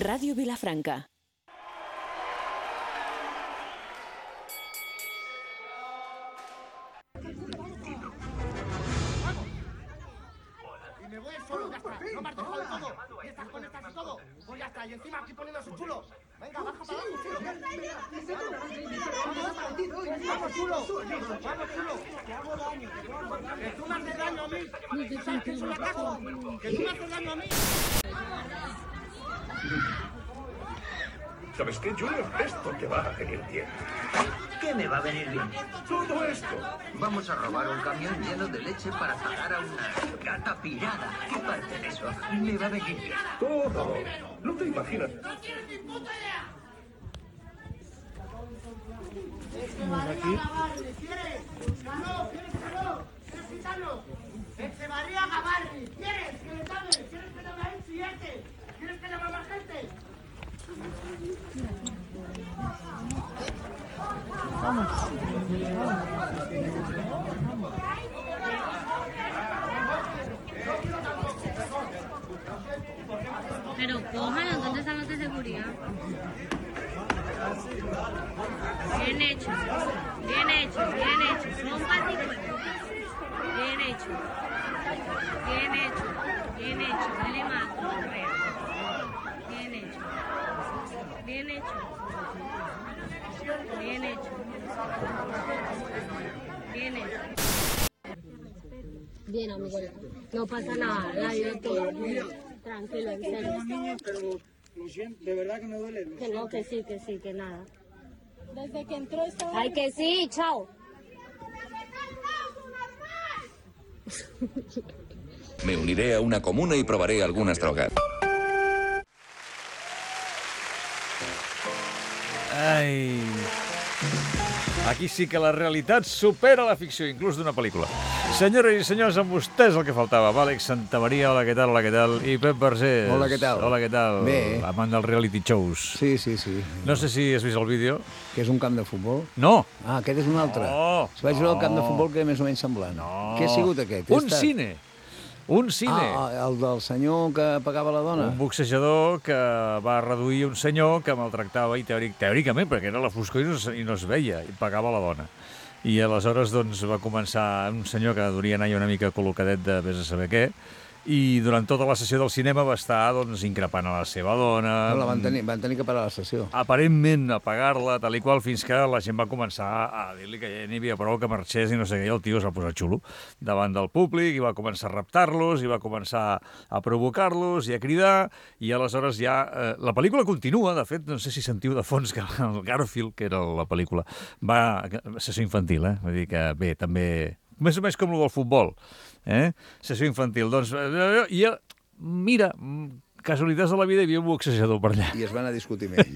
Ràdio Vilafranca. Me voy solo, ya está. No me has dejado de todo. Y estas conectas y todo. Pues ya está. Y encima aquí poniéndose chulo. Venga, baja para abajo, chulo. Vamos, chulo. Vamos, chulo. Que hago daño. Que tú me haces daño a mí. ¿Sabes qué es un acaso? Que tú me haces daño a mí. ¿Sabes qué, Junior? Esto te va a venir bien. ¿Qué me va a venir bien? Todo esto. Vamos a robar un camión lleno de leche para pagar a una gata pirada. ¿Qué parte de eso me va a venir bien? Todo. No te imaginas. ¡No tienes ni puta idea! ¿Quieres? ¡Ganó! ¿Quieres ganó? ¿Quieres gitano? Echevarría Gavarri. ¿Quieres que le llame? ¿Quieres que llame a él siguiente? ¿Quieres que llame a más gente? Pero cójalo, ¿dónde están los de seguridad? Bien hecho, bien hecho, bien hecho. Son patitos. Bien hecho. Bien hecho, bien hecho. Dale más, Correa. Bien hecho. Bien hecho. Bien hecho. Bien hecho. Bien, amigo. No pasa nada, la vida es todo. Tranquilo, en serio. Pero lo siento, de verdad que me duele. Que no, que sí, que nada. Desde que entró estaba... Ay, que sí, chao. Me uniré a una comuna y probaré algunas drogas. Ai... Aquí sí que la realitat supera la ficció, inclús d'una pel·lícula. Senyores i senyors, amb vostès el que faltava. Àlex Santamaria, hola, què tal, hola, què tal? I Pep Vergés. Hola, què tal? Hola, què tal? Bé. Amant dels reality shows. Sí. No sé si has vist el vídeo. Que és un camp de futbol? No. Ah, aquest és un altre. No. Vaig veure el camp de futbol que és més o menys semblant. No. Què ha sigut aquest? Un cine. Un cine. Ah, el del senyor que pagava la dona? Un boxejador que va reduir un senyor que maltractava, i teòricament, perquè era la foscor i no es veia, i pagava la dona. I aleshores doncs, va començar un senyor que duria anar una mica col·locadet de vés a saber què, i durant tota la sessió del cinema va estar doncs, increpant a la seva dona. No, van tenir que parar la sessió. Aparentment a pagar-la, tal i qual, fins que la gent va començar a dir-li que ja n'hi havia prou, que marxés i no sé què, i el tio es va posar xulo davant del públic i va començar a raptar-los i va començar a provocar-los i a cridar, i aleshores ja... la pel·lícula continua, de fet, no sé si sentiu de fons que el Garfield, que era la pel·lícula, va... sessió infantil, vull dir que bé, també... Més o menys com el del futbol, sessió infantil. Doncs, i mira, casualitats de la vida, hi havia un boxejador per allà. I es van a discutir amb ell.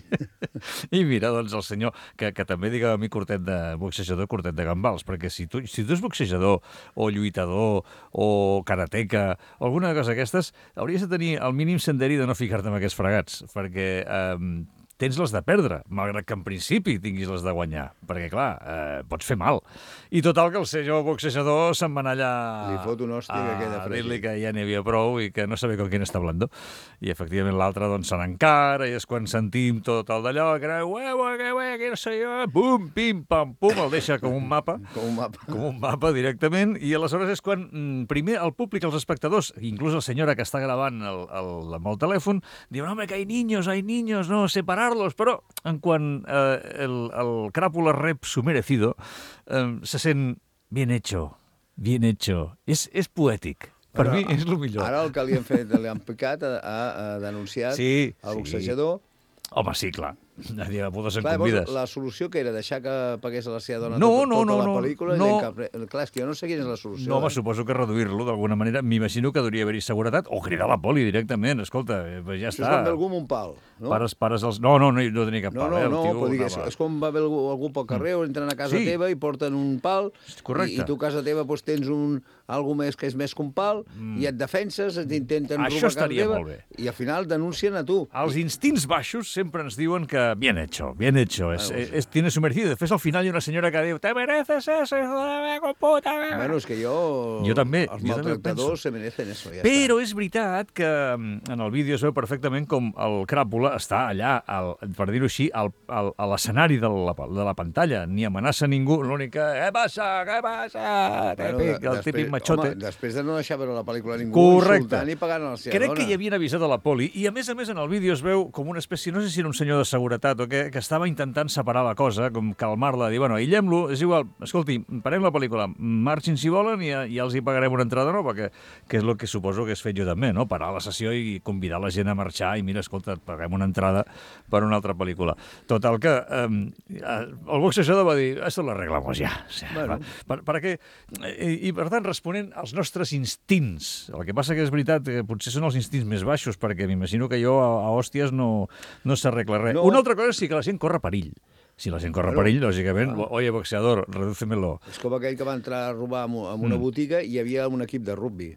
I mira, doncs, el senyor, que també digue a mi curtet de boxejador, curtet de gambals, perquè si tu ets boxejador, o lluitador, o karateca, o alguna cosa d'aquestes, hauries de tenir el mínim senderi de no ficar-te en aquests fregats, perquè... tens les de perdre, malgrat que en principi tinguis les de guanyar, perquè, clar, pots fer mal. I total, que el senyor boxejador se'n va anar allà Li fot un hòstia que queda a fregit. dir-li que ja n'hi havia prou i que no sabia con quién està hablando. I, efectivament, l'altre doncs, se n'encara, i és quan sentim tot el d'allò, que no sé jo, pum, pim, pam, pum, el deixa com un mapa. Com un mapa, directament, i aleshores és quan, primer, el públic, els espectadors, inclús la senyora que està gravant amb el telèfon, diuen, home, que hay niños, no, separarlos, però en quan el crápula rep su merecido, se sent bien hecho. És poètic. Per mi és el millor. Ara el que li han picat, ha denunciat el boxejador. Home, sí, clar. Nadie bodes en Clar, convides. la solució que era deixar que pagués a la seva dona No, tota la pel·lícula? no. Clar, és que jo no sé quina és la solució. No, home, suposo que reduir-lo d'alguna manera. M'imagino que hauria d'haver-hi seguretat o cridar la poli directament. Escolta, ja està. Això és com ve algú amb un pal, no? Pares els... No tenia cap pal. No, és com va haver algú pel carrer o entren a casa teva i porten un pal. Correcte. I tu a casa teva tens algú més que és més que un pal i et defenses, t'intenten robar a casa teva i al final denuncien a tu. Els instints baixos sempre ens diuen que bien hecho, bien hecho. Tiene su merecido. Després, al final, hi ha una senyora que diu «Te mereces eso, hijo de la meva puta!» Bueno, és que jo també, els jo també ho maltractadors se merecen eso, ja Però és veritat que en el vídeo es veu perfectament com el cràpula està allà, per dir-ho així, a l'escenari de la pantalla. Ni amenaça ningú, l'únic que «Què passa? Què passa?» El típic machote. Home, després de no deixar veure la pel·lícula ningú, Correcte. insultant i pagant a la seva Crec dona. que hi havien avisat a la poli i, a més, en el vídeo es veu com una espècie, no sé si era un senyor de seguretat o què, que estava intentant separar la cosa, com calmar-la, dir, bueno, aïllem-lo, és igual, escolti, parem la pel·lícula, marxin si volen i ja els hi pagarem una entrada nova, que és el que suposo que he fet jo també, no? Parar la sessió i convidar la gent a marxar i mira, escolta, paguem una entrada per una altra pel·lícula. Total que el boxejador va dir, esto lo arreglamos ya. O sea, per què? I, per tant, responent als nostres instints. El que passa que és veritat que potser són els instints més baixos, perquè m'imagino que jo a hòsties no s'arregla res. No. Una altra cosa és si que la gent corre perill. Si la gent corre perill, lògicament, oye, boxeador, redúcemelo. És com aquell que va entrar a robar en una botiga i hi havia un equip de rugbi.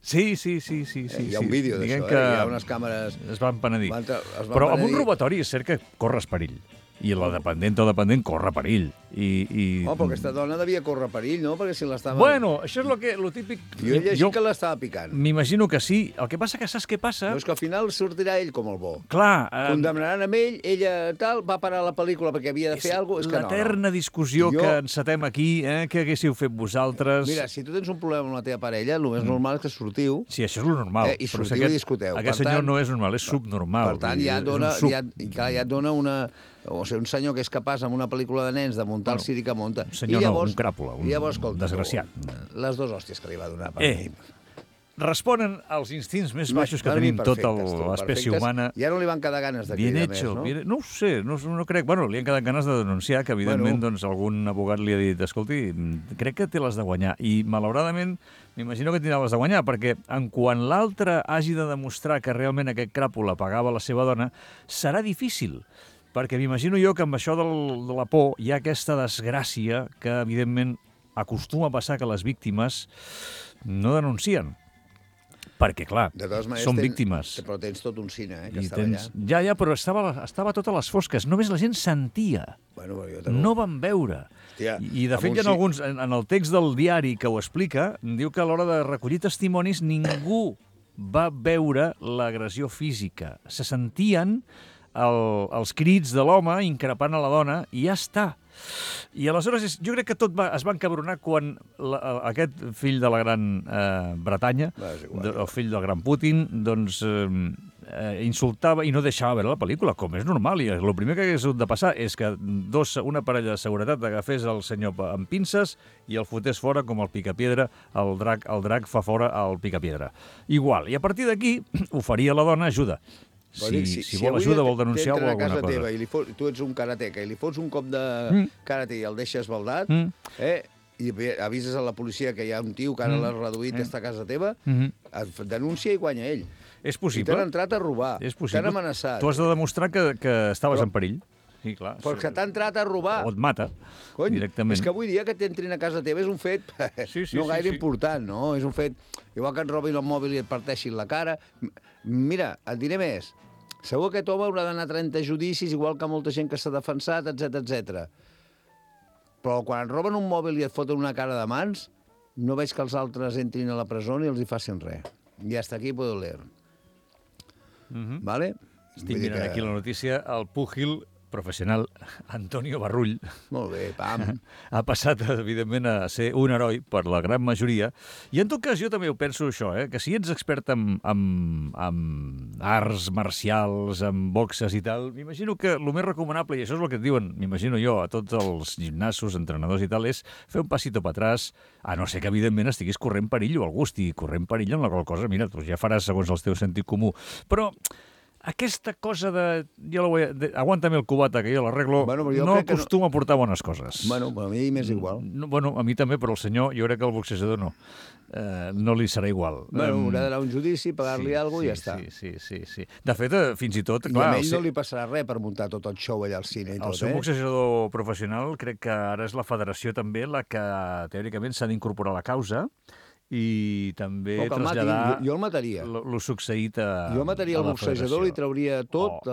Sí. Hi ha un vídeo d'això, que hi ha unes càmeres... Es van penedir. Es van Però amb un penedir. robatori és cert que corres perill. I la dependent o dependent corre perill. Oh, però aquesta dona devia córrer perill, no? Perquè si l'estava... Bueno, això és lo típic... Jo he llegit que l'estava picant. M'imagino que sí. El que passa que saps què passa? No, és que al final sortirà ell com el bo. Clar. Condemnaran amb ell, ella tal, va parar la pel·lícula perquè havia de fer alguna cosa. És que l'eterna discussió que encetem aquí, què haguéssiu fet vosaltres... Mira, si tu tens un problema amb la teva parella, el més normal és que sortiu... Sí, això és lo normal. I sortiu i discuteu. Aquest senyor no és normal, és subnormal. Per tant, ja et dona una... O sigui, un senyor que és capaç amb una pel·lícula de nens de muntar el circ que munta. Un senyor un cràpula, un desgraciat. Les dues hòsties que li va donar per mi. Responen als instints més baixos que tenim tota l'espècie humana. Ja no li van quedar ganes de cridar més, no? No ho sé, no crec. Bueno, li han quedat ganes de denunciar, que evidentment doncs, algun abogat li ha dit escolti, crec que té les de guanyar. I, malauradament, m'imagino que tindrà les de guanyar, perquè en quan l'altre hagi de demostrar que realment aquest cràpula pagava la seva dona, serà difícil. Perquè m'imagino jo que amb això de la por hi ha aquesta desgràcia que, evidentment, acostuma a passar que les víctimes no denuncien. Perquè, clar, són víctimes. Però tens tot un cine, que estava allà. Ja, però estava tot a les fosques. Només la gent sentia. No van veure. I, de fet, hi ha alguns... En el text del diari que ho explica, diu que a l'hora de recollir testimonis ningú va veure l'agressió física. Se sentien els crits de l'home increpant a la dona i ja està. I aleshores jo crec que tot es va encabronar quan aquest fill de la Gran Bretanya, el fill del Gran Putin, doncs insultava i no deixava veure la pel·lícula, com és normal. I el primer que hagués hagut de passar és que una parella de seguretat agafés el senyor amb pinces i el fotés fora com el picapiedra, el drac fa fora el picapiedra. Igual. I a partir d'aquí oferia a la dona ajuda. Si vol ajuda, vol denunciar o alguna cosa. Teva i tu ets un karateca i li fots un cop de karate i el deixes baldat, i avises a la policia que hi ha un tio que ara l'ha reduït i està a casa teva, denuncia i guanya ell. És possible. I t'han entrat a robar, t'han amenaçat. Tu has de demostrar que estaves en perill. Sí, clar. Però que t'ha entrat a robar. O et mata, directament. És que avui dia que t'entrin a casa teva és un fet no gaire important, no? És un fet... Igual que et robin el mòbil i et parteixin la cara. Mira, et diré més. Segur que aquest home haurà d'anar a 30 judicis, igual que molta gent que s'ha defensat, etc. Però quan et roben un mòbil i et foten una cara de mans, no veig que els altres entrin a la presó ni els hi facin res. I hasta aquí puedo leer. ¿Vale? Estic mirant aquí la notícia. El púgil professional Antonio Barrull molt bé, pam. Ha passat, evidentment, a ser un heroi per la gran majoria. I en tot cas, jo també ho penso això, que si ets expert en arts marcials, en boxes i tal, m'imagino que el més recomanable, i això és el que et diuen, m'imagino jo, a tots els gimnasos, entrenadors i tal, és fer un passito per atrás, a no ser que, evidentment, estiguis corrent perill o algú estigui corrent perill amb la qual cosa, mira, tu ja faràs segons el teu sentit comú. Però aquesta cosa de aguántame el cubata, que jo l'arreglo, no acostuma a portar bones coses. Bueno, a mi m'és igual. Bueno, a mi també, però el senyor, jo crec que el boxejador no. No li serà igual. Bueno, haurà d'anar a un judici, pagar-li alguna cosa i ja està. Sí. De fet, fins i tot... I a ell no li passarà res per muntar tot el show allà al cine i tot, El seu boxejador professional crec que ara és la federació també la que, teòricament, s'ha d'incorporar a la causa i també que el mati, traslladar jo el mataria. lo succeït a Jo mataria a el la boxejador, federació. li trauria tot,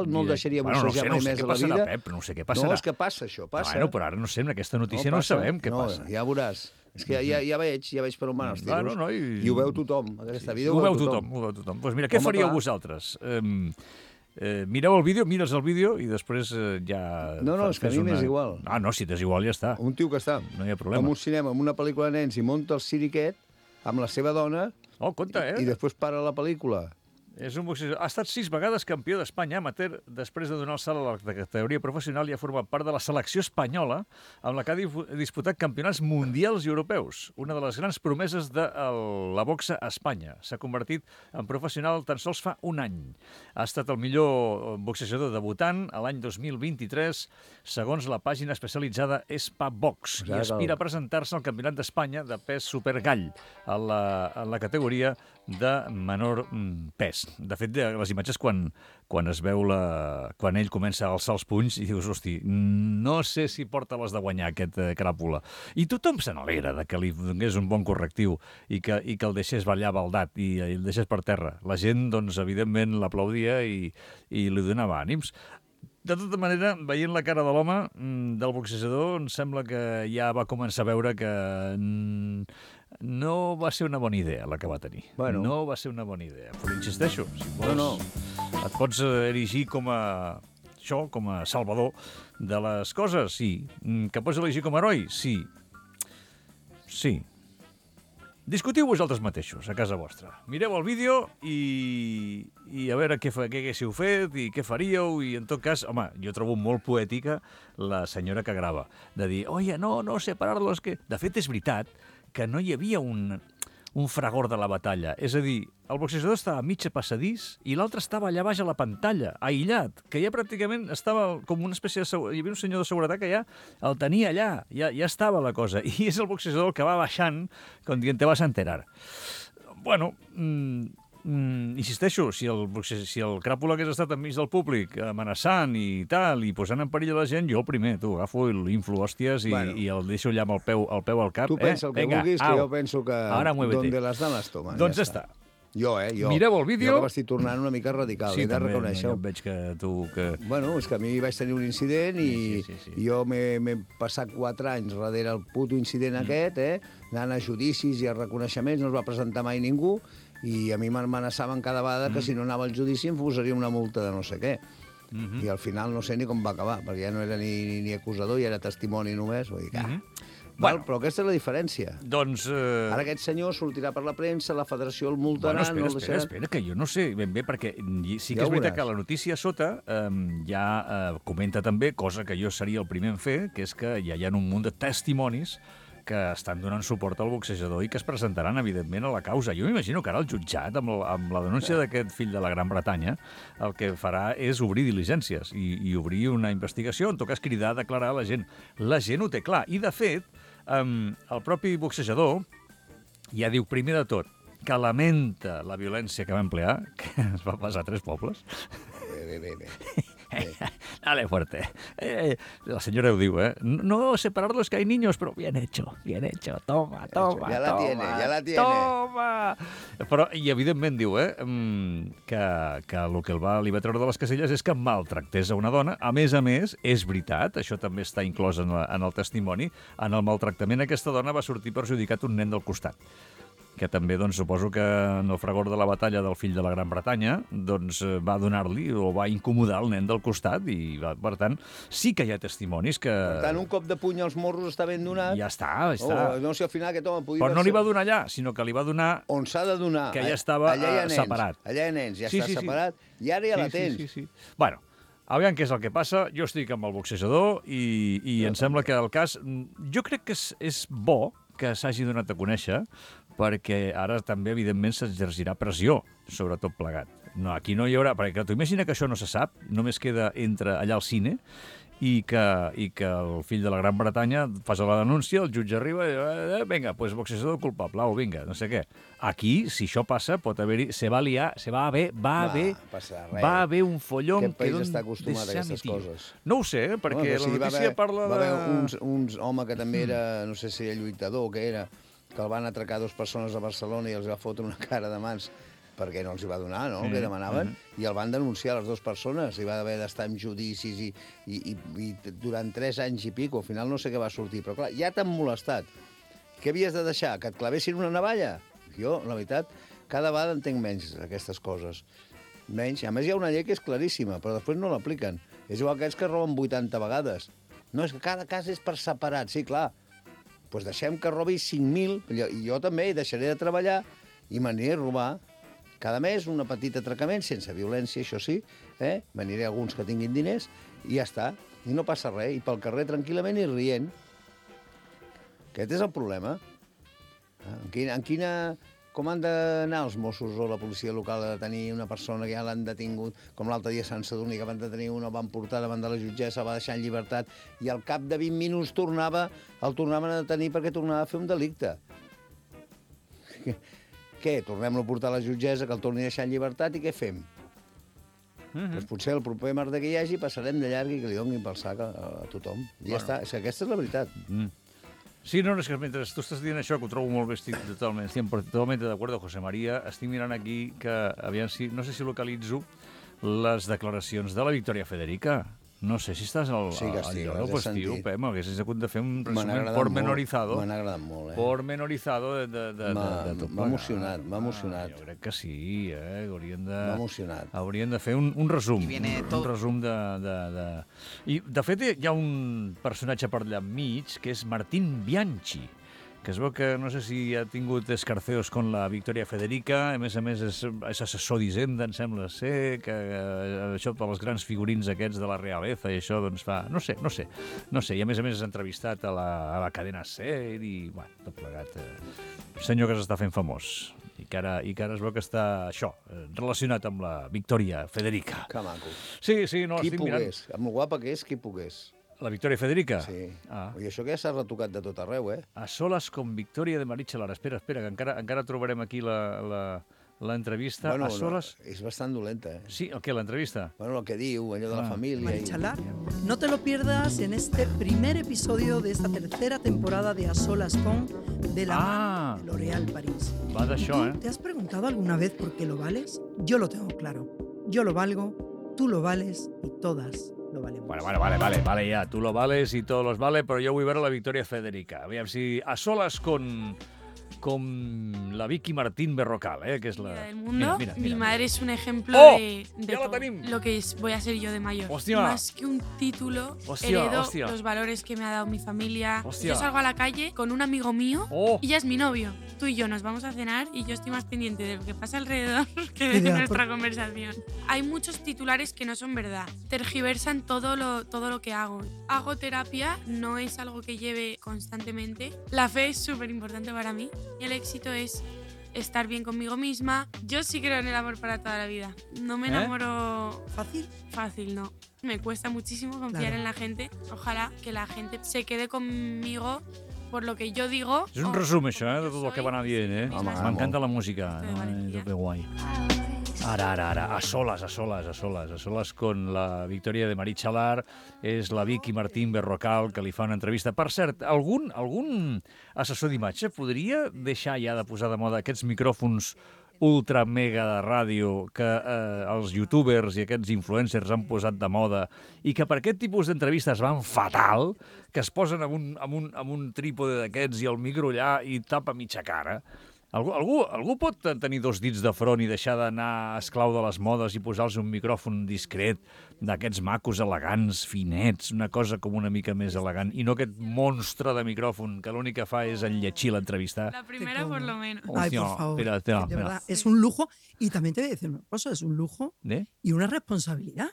no el deixaria no boxejar mai sé més què a la passarà, vida. Pep, no sé què passarà. No, és que passa això, passa. Bueno, però ara no sé, en aquesta notícia no sabem què passa. Ja veuràs. És que ja veig per on van els tiros. I ho veu tothom. Aquesta vida ho veu tothom. Doncs mira, què faríeu vosaltres? Mireu el vídeo, mires el vídeo i després ja... No, és que a mi m'és igual. Ah, no, si t'és igual ja està. Un tio que està no hi ha problema. en un cinema, en una pel·lícula de nens, i munta el siriquet amb la seva dona i després para la pel·lícula. És un boxejador. Ha estat 6 vegades campió d'Espanya amateur després de donar el salt a la categoria professional i ha format part de la selecció espanyola amb la que ha disputat campionats mundials i europeus. Una de les grans promeses de la boxa a Espanya. S'ha convertit en professional tan sols fa un any. Ha estat el millor boxejador debutant a l'any 2023, segons la pàgina especialitzada Espabox, i aspira a presentar-se al Campionat d'Espanya de pes supergall en la categoria de menor pes. De fet, les imatges quan es veu quan ell comença a alçar els punys i dius, hosti, no sé si porta les de guanyar aquest cràpula. I tothom se n'alegra que li donés un bon correctiu i que el deixés ballar baldat i el deixés per terra. La gent, doncs, evidentment, l'aplaudia i li donava ànims. De tota manera, veient la cara de l'home, del boxejador, em sembla que ja va començar a veure que no va ser una bona idea la que va tenir. No va ser una bona idea. Però insisteixo, si vols, et pots erigir com a salvador de les coses, sí. Que pots elegir com a heroi, sí. Sí. Discutiu vosaltres mateixos, a casa vostra. Mireu el vídeo i a veure què haguéssiu fet i què faríeu. I en tot cas, home, jo trobo molt poètica la senyora que grava, de dir, oye, no, separar-los, que... De fet, és veritat que no hi havia un fragor de la batalla. És a dir, el boxejador estava a mitja passadís i l'altre estava allà baix a la pantalla, aïllat, que ja pràcticament estava com una espècie de... Hi havia un senyor de seguretat que ja el tenia allà, ja estava la cosa. I és el boxejador el que va baixant, com dient, te vas a enterar. Bueno, insisteixo, si el cràpula hagués estat enmig del públic amenaçant i tal, i posant en perill a la gent, jo el primer, agafo i l'inflo hòsties i el deixo allà amb el peu al cap. Tu pensa el que vulguis, que jo penso que donde las dan las toman. Doncs ja està. Jo. Mireu el vídeo. Jo que m'estic tornant una mica radical, he de reconèixer-ho. Sí, també, veig que tu... Bueno, és que a mi vaig tenir un incident i jo m'he passat 4 anys darrere el puto incident aquest, anant a judicis i a reconeixements, no es va presentar mai ningú, i a mi m'amenaçaven cada vegada que si no anava al judici em posaria una multa de no sé què. I al final no sé ni com va acabar, perquè ja no era ni acusador, ja era testimoni només. Vull dir, però aquesta és la diferència. Doncs... Ara aquest senyor sortirà per la premsa, la federació el multarà... Espera, que jo no sé ben bé, perquè sí que és veritat que la notícia a sota ja comenta també, cosa que jo seria el primer en fer, que és que ja hi ha un munt de testimonis que estan donant suport al boxejador i que es presentaran, evidentment, a la causa. Jo m'imagino que ara el jutjat, amb la denúncia d'aquest fill de la Gran Bretanya, el que farà és obrir diligències i obrir una investigació, en tot cas cridar a declarar la gent. La gent ho té clar. I, de fet, el propi boxejador ja diu, primer de tot, que lamenta la violència que va emplear, que es va passar a 3 pobles. Bé. Dale fuerte. La señora ho diu, No separarlos que hay niños, pero bien hecho. Toma. Ya la tiene. Toma! Però, i evidentment diu, que el que li va treure de les caselles és que maltractés a una dona. A més, és veritat, això també està inclòs en el testimoni, en el maltractament aquesta dona va sortir perjudicat un nen del costat, que també, doncs, suposo que en el fragor de la batalla del fill de la Gran Bretanya, doncs, va donar-li o va incomodar el nen del costat i, per tant, sí que hi ha testimonis que... Per tant, un cop de puny als morros està ben donat. Ja està. No sé, al final aquest home podia... Però no li va donar allà, sinó que li va donar... On s'ha de donar. Que ja estava separat. Allà hi ha nens, ja està separat, i ara ja la tens. Sí. Bueno, aviam què és el que passa. Jo estic amb el boxejador i em sembla que el cas... Jo crec que és bo que s'hagi donat a conèixer, perquè ara també, evidentment, s'exercirà pressió sobre tot plegat. No, aquí no hi haurà... Perquè tu imagina que això no se sap, només queda allà al cine, i que el fill de la Gran Bretanya fa la denúncia, el jutge arriba i vinga, pues boxejador culpable, o vinga, no sé què. Aquí, si això passa, pot haver-hi... va haver un follon... Aquest país està acostumat a aquestes coses. No ho sé, perquè la notícia parla de... Va haver un home que també era, no sé si era lluitador o què era, que el van atracar 2 persones a Barcelona i els va fotre una cara de mans perquè no els hi va donar, no?, el que demanaven, i el van denunciar les 2 persones, i va haver d'estar en judicis i durant 3 anys i pico, al final no sé què va sortir, però clar, ja t'han molestat. Què havies de deixar? Que et clavessin una navalla? Jo, la veritat, cada vegada entenc menys aquestes coses. Menys. A més, hi ha una llei que és claríssima, però després no l'apliquen. És igual que aquells que roben 80 vegades. No, és que cada cas és per separat. Sí, clar. Doncs deixem que robi 5.000, i jo també deixaré de treballar i m'aniré a robar cada mes un petit atracament, sense violència, això sí, m'aniré a alguns que tinguin diners, i ja està. I no passa res, i pel carrer tranquil·lament i rient. Aquest és el problema. Com han d'anar els Mossos o la policia local a detenir una persona que ja l'han detingut, com l'altre dia a Sant Sadurní, que van detenir una, el van portar davant de la jutgessa, el va deixar en llibertat, i al cap de 20 minuts el tornaven a detenir perquè tornava a fer un delicte. Què? Tornem-lo a portar a la jutgessa, que el torni a deixar en llibertat, i què fem? Doncs potser el proper merda que hi hagi passarem de llarg i que li donin pel sac a tothom. I ja està. És que aquesta és la veritat. Sí, no, és que mentre tu estàs dient això, que ho trobo molt bé, estic totalment d'acord, José María, estic mirant aquí que, aviam si, no sé si localitzo les declaracions de la Victòria Federica. No sé si estàs al lloc, pues, tio, Pep, m'haguessis hagut de fer un resumen pormenorizado. M'han agradat molt, Pormenorizado de tot. M'ha emocionat, m'ha emocionat. Jo crec que sí, M'ha emocionat. Haurien de fer un resum. Un resum de... I, de fet, hi ha un personatge per allà enmig, que és Martín Bianchi, que es veu que no sé si ha tingut escarceos con la Victòria Federica, a més és assessor d'Hisenda, em sembla ser, que això per les grans figurins aquests de la realeza i això doncs fa... No sé, i a més és entrevistat a la cadena SER i, bueno, tot plegat. Senyor que s'està fent famós i que ara es veu que està, això, relacionat amb la Victòria Federica. Que maco. Sí, no, estic mirant. Qui pogués, amb el guapa que és, qui pogués. La Victòria Federica? Sí. I això que ja s'ha retocat de tot arreu, A solas con Victòria de Marichalar. Espera, que encara trobarem aquí l'entrevista. Bueno, a solas... és bastant dolenta, Sí, el què, l'entrevista? Bueno, el que diu, allò de la família... Marichalar, no te lo pierdas en este primer episodio de esta tercera temporada de A Solas con, de la mano de L'Oréal París. Va d'això, ¿Te has preguntado alguna vez por qué lo vales? Yo lo tengo claro. Yo lo valgo, tú lo vales y todas lo valemos. Vale, ya. Tú lo vales y todos los vale, pero yo voy a ver a la Victòria Federica. Aviam si a solas con la Vicky Martín Berrocal, que es la... del mundo. Mira. Mi madre es un ejemplo de lo que voy a ser yo de mayor. Hostia. Más que un título, heredo los valores que me ha dado mi familia. Yo salgo a la calle con un amigo mío y ya es mi novio. Tú y yo nos vamos a cenar y yo estoy más pendiente de lo que pasa alrededor que de nuestra conversación. Hay muchos titulares que no son verdad. Tergiversan todo lo que hago. Hago terapia, no es algo que lleve constantemente. La fe es súper importante para mí. Y el éxito es estar bien conmigo misma. Yo sí creo en el amor para toda la vida. No me enamoro fácil, no. Me cuesta muchísimo confiar en la gente. Ojalá que la gente se quede conmigo por lo que yo digo. És un resum, això, de tot el que va anar dient, M'encanta la música. Que guai. Ara, a solas con la Victòria de Marichalar, és la Vicky Martín Berrocal, que li fa una entrevista. Per cert, algun assessor d'imatge podria deixar ja de posar de moda aquests micròfons ultra mega de ràdio que els youtubers i aquests influencers han posat de moda i que per aquest tipus d'entrevistes van fatal, que es posen amb un trípode d'aquests i el micro allà i tapa mitja cara? Algú pot tenir 2 dits de front i deixar d'anar esclau de les modes i posar-los un micròfon discret d'aquests macos elegants, finets, una cosa com una mica més elegant, i no aquest monstre de micròfon que l'únic que fa és enlletxir l'entrevista? La primera por lo menos. Ay, por favor. Espera. De verdad, es un lujo, y también te voy a decir una cosa, es un lujo y una responsabilidad.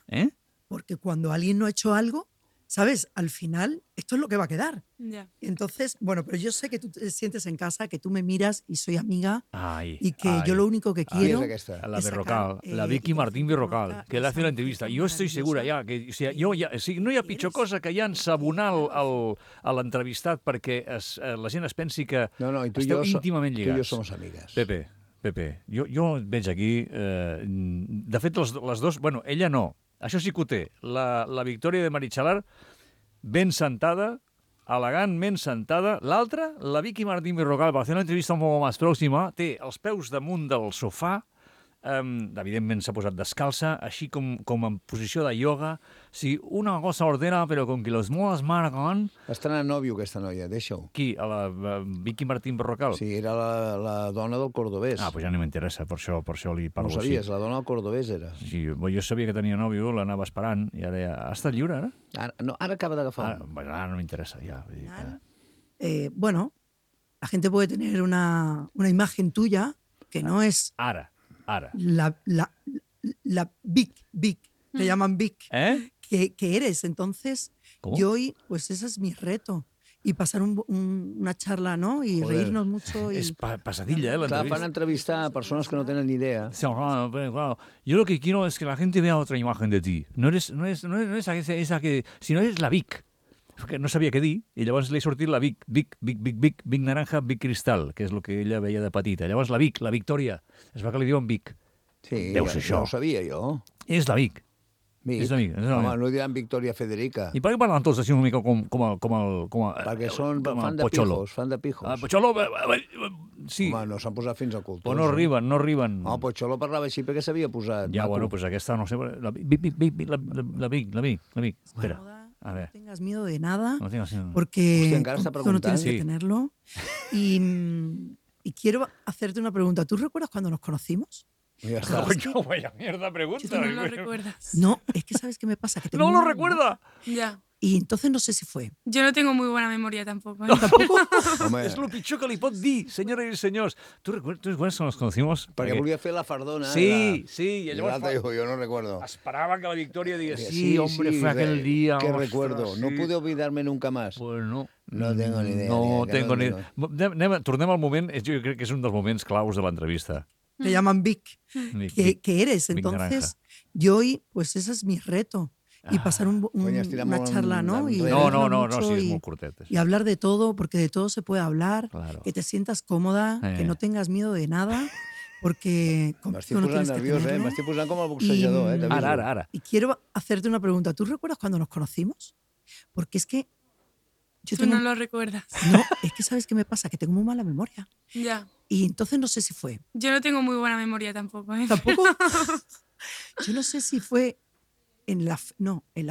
Porque cuando alguien no ha hecho algo, ¿sabes? Al final, esto es lo que va a quedar. Ya. Entonces, bueno, pero yo sé que tú te sientes en casa, que tú me miras y soy amiga y que ay. yo lo único que quiero es la Berrocal, la Vicky Martín Berrocal, que le hace una entrevista. Jo estic segura ja que no hi ha pitjor cosa que ja ensabonar l'entrevistat perquè la gent es pensi que esteu íntimament lligats. Tu i jo som amigues. Pepe, jo et veig aquí... De fet, les dos... Bueno, ella no. Això sí que ho té. La Victòria de Marichalar ben sentada, elegantment sentada. L'altra, la Vicky Martín Berrocal, per fer una entrevista un poc més pròxima, té els peus damunt del sofà, evidentment s'ha posat descalça, així com en posició de ioga. Sí, una cosa ordena, però com que los modas marcan... Està anant nòvio, aquesta noia, deixa-ho. Qui? A la Vicky Martín Berrocal? Sí, era la dona del cordobès. Ah, doncs ja no m'interessa, per això li parlo així. No sabies, la dona del cordobès era. Sí, jo sabia que tenia nòvio, l'anava esperant, i ara ja... Ha estat lliure, ara? Ara acaba d'agafar. Ara no m'interessa, ja. Bueno, la gente puede tener una imagen tuya que no es... Ara. La Vic, te llaman Vic, que eres. Entonces, yo hoy, pues ese es mi reto. Y pasar una charla, ¿no? Y reírnos mucho. Es pasadilla, la entrevista. Van a entrevistar a personas que no tienen ni idea. Sí, claro. Yo lo que quiero es que la gente vea otra imagen de ti. No eres esa que... Sino eres la Vic. Que no sabia què dir, i llavors li ha sortit la Vic naranja, Vic cristal, que és el que ella veia de petita. Llavors la Vic, la Victòria, es va que li diuen Vic. Sí, deu ser això. Ja ho sabia jo. És la Vic. És la Vic. Home, no diran Victòria Federica. I per què parlen tots així una mica com perquè són fan de pijos. Pocholo, sí. Home, no s'han posat fins a cultors. Però no arriben. No, Pocholo parlava així perquè s'havia posat. Ja, bueno, pues aquesta, no sé, la Vic. Espera. A ver. No tengas miedo de nada, no tengas miedo. Porque tú no tienes que tenerlo. Y quiero hacerte una pregunta. ¿Tú recuerdas cuando nos conocimos? Ya está. Vaya mierda pregunta. ¿Tú no lo recuerdas? No, es que ¿sabes qué me pasa? Que ¡No lo recuerda! Ya. Y entonces no sé si fue. Jo no tengo muy buena memoria tampoco. ¿No, tampoco? És el pitjor que li pot dir, senyores i senyors. ¿Tú recuerdas cuando nos conocimos? Perquè volia fer la fardona. Sí, y llavors yo no recuerdo. Esperaba que la Victoria diga, sí, hombre, fue aquel día. Que recuerdo. No pude olvidarme nunca más. Pues no. No tengo ni idea. No tengo ni idea. Tornem al moment, jo crec que és un dels moments claus de l'entrevista. Te llaman Vic. Que eres. Entonces, yo hoy, pues ese es mi reto. Y pasar una charla, ¿no? Y no, sí, es muy cortet. Y hablar de todo, porque de todo se puede hablar, claro. Que te sientas cómoda, que no tengas miedo de nada, porque... M'estic posant nerviós, m'estic posant com el boxejador, Ara. Y quiero hacerte una pregunta. ¿Tú recuerdas cuando nos conocimos? Porque es que... Tú no lo recuerdas. No, es que ¿sabes qué me pasa? Que tengo muy mala memoria. Ya. Y entonces no sé si fue. Yo no tengo muy buena memoria tampoco, ¿eh? ¿Tampoco? Yo no sé si fue... En la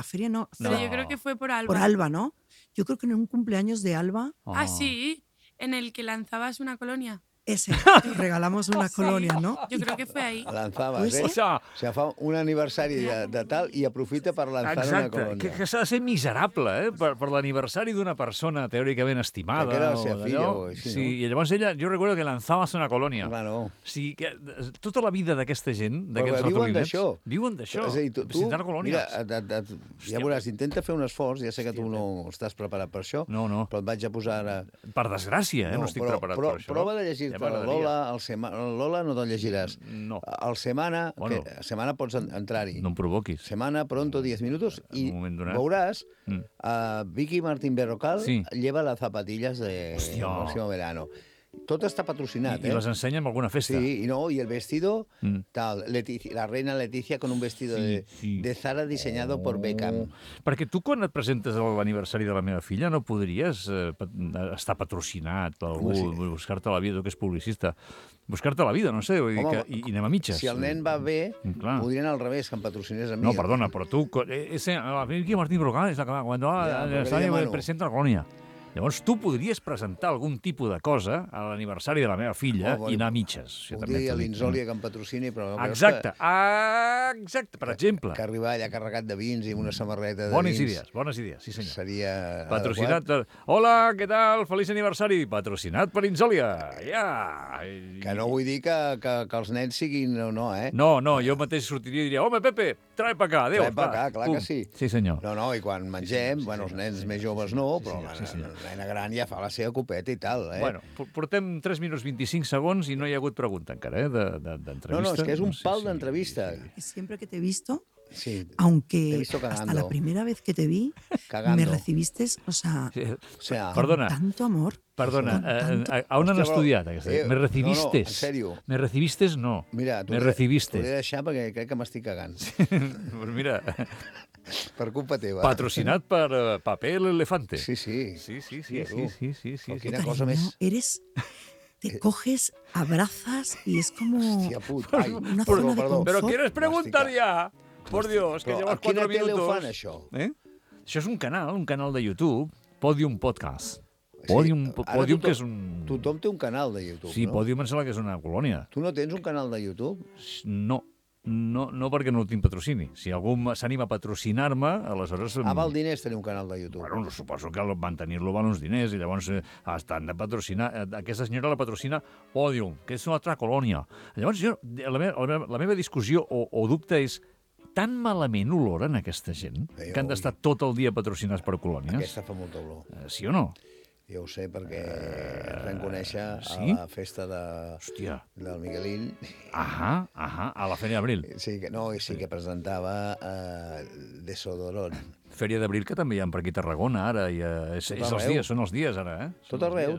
feria no. Pero yo creo que fue por Alba. Por Alba, ¿no? Yo creo que en un cumpleaños de Alba. Ah, sí, en el que lanzabas una colonia. Ese, regalamos unas colonias, ¿no? Jo crec que fue ahí. Lanzabas, O sigui, fa un aniversari de tal i aprofita per lançar una colònia. Exacte, que s'ha de ser miserable, per l'aniversari d'una persona teòricament estimada. Que era la seva filla o així, sí, I llavors ella, jo recordo que lanzabas una colònia. Claro. Sí, que tota la vida d'aquesta gent, d'aquests ratolins, viuen d'això. És a dir, tu colònies. Mira, ja veuràs, intenta fer un esforç, ja sé que tu no estàs preparat per això, però et vaig a posar ara... Per desgràcia, no estic preparat per això. Prova de llegir-te la Lola, el Lola no te'l llegiràs. No. El Semana, Semana pots entrar-hi. No em provoquis. Semana, pronto, 10 minutos, i veuràs Vicky Martín Berrocal lleva las zapatillas de Máximo Verano. Tot està patrocinat, I les ensenya en alguna festa. Sí, y el vestido, tal, la reina Leticia con un vestido de Zara diseñado por Beckham. Perquè tu, quan et presentes a l'aniversari de la meva filla, no podries estar patrocinat per algú, buscar-te la vida, tu que és publicista, buscar-te la vida, no sé, i anem a mitges. Si el nen va bé, podrien al revés, que em patrocinés a mi. No, perdona, però tu... Vicky Martín Berrocal és la que quan l'aniversari presenta la colònia. Llavors, tu podries presentar algun tipus de cosa a l'aniversari de la meva filla i anar a mitges. Podria l'Insòlia que em patrocini, però... Exacte, per exemple. Que arribar allà carregat de vins i amb una samarreta de vins. Bones idees, sí senyor. Seria patrocinat per... Hola, què tal? Feliç aniversari. Patrocinat per Insòlia. Que no vull dir que els nens siguin... No, No, jo mateix sortiria i diria, home, Pepe, trae pa acá, adéu. Trae pa acá, clar que sí. Sí, senyor. No, i quan mengem, els nens més joves no, però la nena gran ja fa la seva copeta i tal, Bueno, portem 3 minuts 25 segons i no hi ha hagut pregunta encara, d'entrevista. No, és que és un pal d'entrevista. Siempre que te he visto, aunque hasta la primera vez que te vi, me recibiste, o sea, perdona, con tanto amor. Perdona, on han estudiat aquesta? Me recibiste. No, en sèrio. Me recibiste no. Mira, me recibiste. T'ho he de deixar perquè crec que m'estic cagant. Pues mira... Per culpa teva. Patrocinat per Paper Elefante. Sí. Sí. Quina cosa més... Te coges, abrazas y es como... Hòstia, puta. Ai, una zona de confort. Però ¿quieres preguntar ya? Por Dios, que llevas 4 minutos. A quina tele ho fan, això? Això és un canal de YouTube, Podium Podcast. Podium, que és un... Tothom té un canal de YouTube, sí, no? Podium em sembla que és una colònia. Tu no tens un canal de YouTube? No perquè no tinc patrocini. Si algú s'anima a patrocinar-me, aleshores... Val diners tenir un canal de YouTube? Bueno, suposo que mantenir-lo val uns diners i llavors estan de patrocinar... Aquesta senyora la patrocina Podium, que és una altra colònia. Llavors, la meva discussió o dubte és tan malament oloren aquesta gent que han d'estar tot el dia patrocinats per colònies? Aquesta fa molta olor. Sí o no? Jo ho sé perquè ens vam conèixer a la festa del Miguelín. A la Fèria d'Abril. Sí que presentava Desodorant. Fèria d'Abril, que també hi ha per aquí a Tarragona, ara. Són els dies, ara, eh? Tot arreu.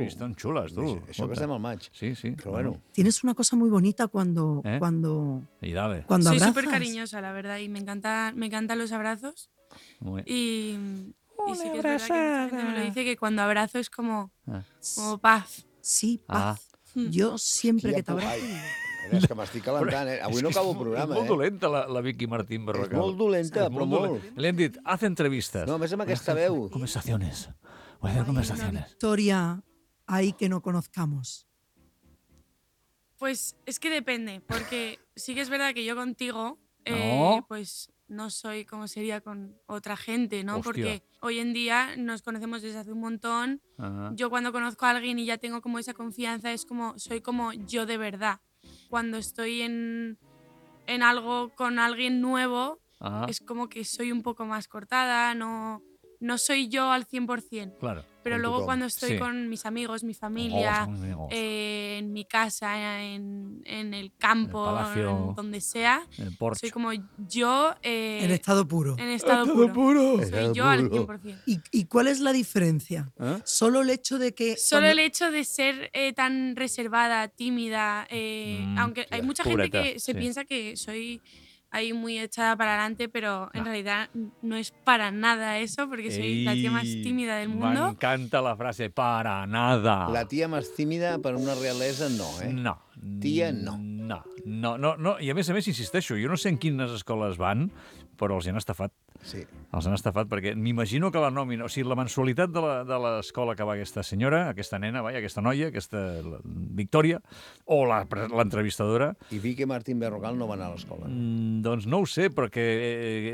Estan xules, tu. Això que estem al maig. Sí. Pero bueno. Tienes una cosa muy bonita cuando abrazas. Soy súper cariñosa, la verdad, y me encantan los abrazos. Y sí que es verdad que mucha gente me lo dice, que cuando abrazo es como paz. Sí, paz. Jo sempre que t'abrazo... És que m'estic calentant, eh? Avui no acabo el programa, És molt dolenta, la Vicky Martín Berrocal. És molt dolenta, però molt. Li hem dit, haz entrevistas. No, a més amb aquesta veu. Conversaciones. Voy a hacer conversaciones. Historia hay que no conozcamos. Pues es que depende, porque sí que es verdad que yo contigo, pues no soy como sería con otra gente, ¿no? Hostia. Porque hoy en día nos conocemos desde hace un montón. Yo cuando conozco a alguien y ya tengo como esa confianza, es como, soy como yo de verdad. Cuando estoy en algo con alguien nuevo, es como que soy un poco más cortada, no soy yo al 100%. Claro. Pero luego cuando estoy con mis amigos, mi familia, en mi casa, en el campo, en el palacio, en donde sea, soy como yo... en estado puro. En estado puro. Soy yo al 100%. ¿Y cuál es la diferencia? Solo el hecho de que... El hecho de ser tan reservada, tímida, aunque hay mucha gente que se piensa que soy... ahí muy echada para adelante, pero en realidad no es para nada eso, porque soy la tía más tímida del mundo. M'encanta la frase, para nada. La tia més tímida per una realesa no, eh? No. Tia no. No. I a més, insisteixo, jo no sé en quines escoles van, però els han estafat. Sí. Els han estafat perquè m'imagino que la nòmina, o sigui, la mensualitat de l'escola que va aquesta senyora, aquesta nena, aquesta noia, aquesta Victòria, o l'entrevistadora... I Vicky Martín Berrocal no va anar a l'escola. Doncs no ho sé, perquè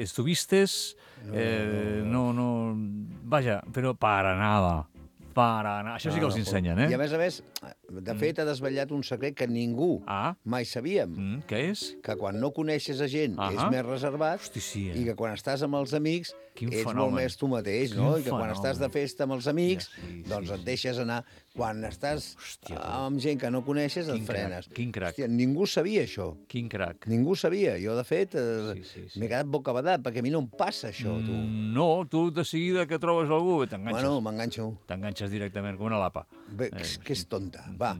estuvistes... No... Vaja, però para nada. Això sí que els ensenyen, eh? I a més, de fet, ha desvetllat un secret que ningú mai sabíem. Què és? Que quan no coneixes a gent és més reservat i que quan estàs amb els amics ets molt més tu mateix, no? I que quan estàs de festa amb els amics, doncs et deixes anar. Quan estàs amb gent que no coneixes, et frenes. Quin crac. Hòstia, ningú sabia això. Quin crac. Ningú sabia. Jo, de fet, m'he quedat bocabadat, perquè a mi no em passa això, tu. No, tu de seguida que trobes algú t'enganxes. Bueno, m'enganxo. T'enganxes directament com una lapa. Que és tonta. Va.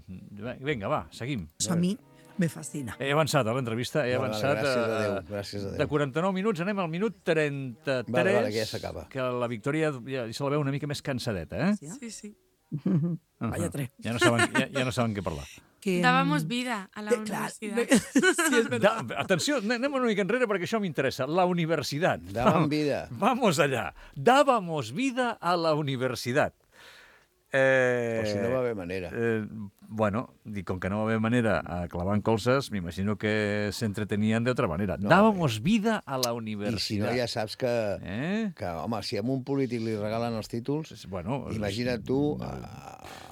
Vinga, va, seguim. A mi me fascina. He avançat a l'entrevista, Gràcies a Déu. De 49 minuts anem al minut 33. Vale, que ja s'acaba. Que la Victòria ja se la veu una mica més cansadeta, eh? Sí. Vaya tres. Ja no saben què parlar. Dábamos vida a la universidad. Sí, és verdad. Atenció, anem una mica enrere perquè això m'interessa. La universitat. Daban vida. Vamos allá. Dábamos vida a la universitat. Però si no va haver manera. Bueno, y con que no va a haber manera a clavar colzas, me imagino que se entretenían de otra manera. No, dábamos vida a la universitat. I si no, ja saps que home, si a un polític li regalen els títols, imagina't tu a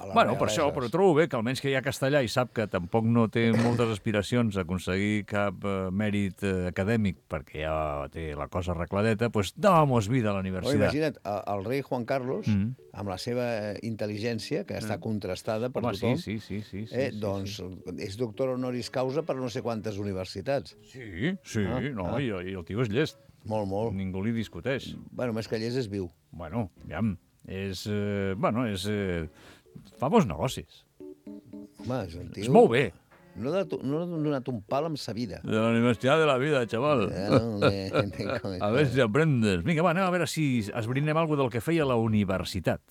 la bueno, per això, però trobo bé que almenys que hi ha castellà i sap que tampoc no té moltes aspiracions a aconseguir cap mèrit acadèmic perquè ja té la cosa arregladeta, doncs dábamos vida a la universitat. Imagina't, el rei Juan Carlos, amb la seva intel·ligència, que està contrastada per tothom, sí. Doncs és doctor honoris causa per no sé quantes universitats. Sí, i el tio és llest. Molt. Ningú li discuteix. Bueno, més que llest és viu. Bueno, aviam, fa bons negocis. Home, és un tio... És molt bé. No ha donat un pal amb sa vida. De la Universitat de la Vida, xaval. A ver si aprendes. Vinga, va, anem a veure si esbrinem alguna del que feia la universitat.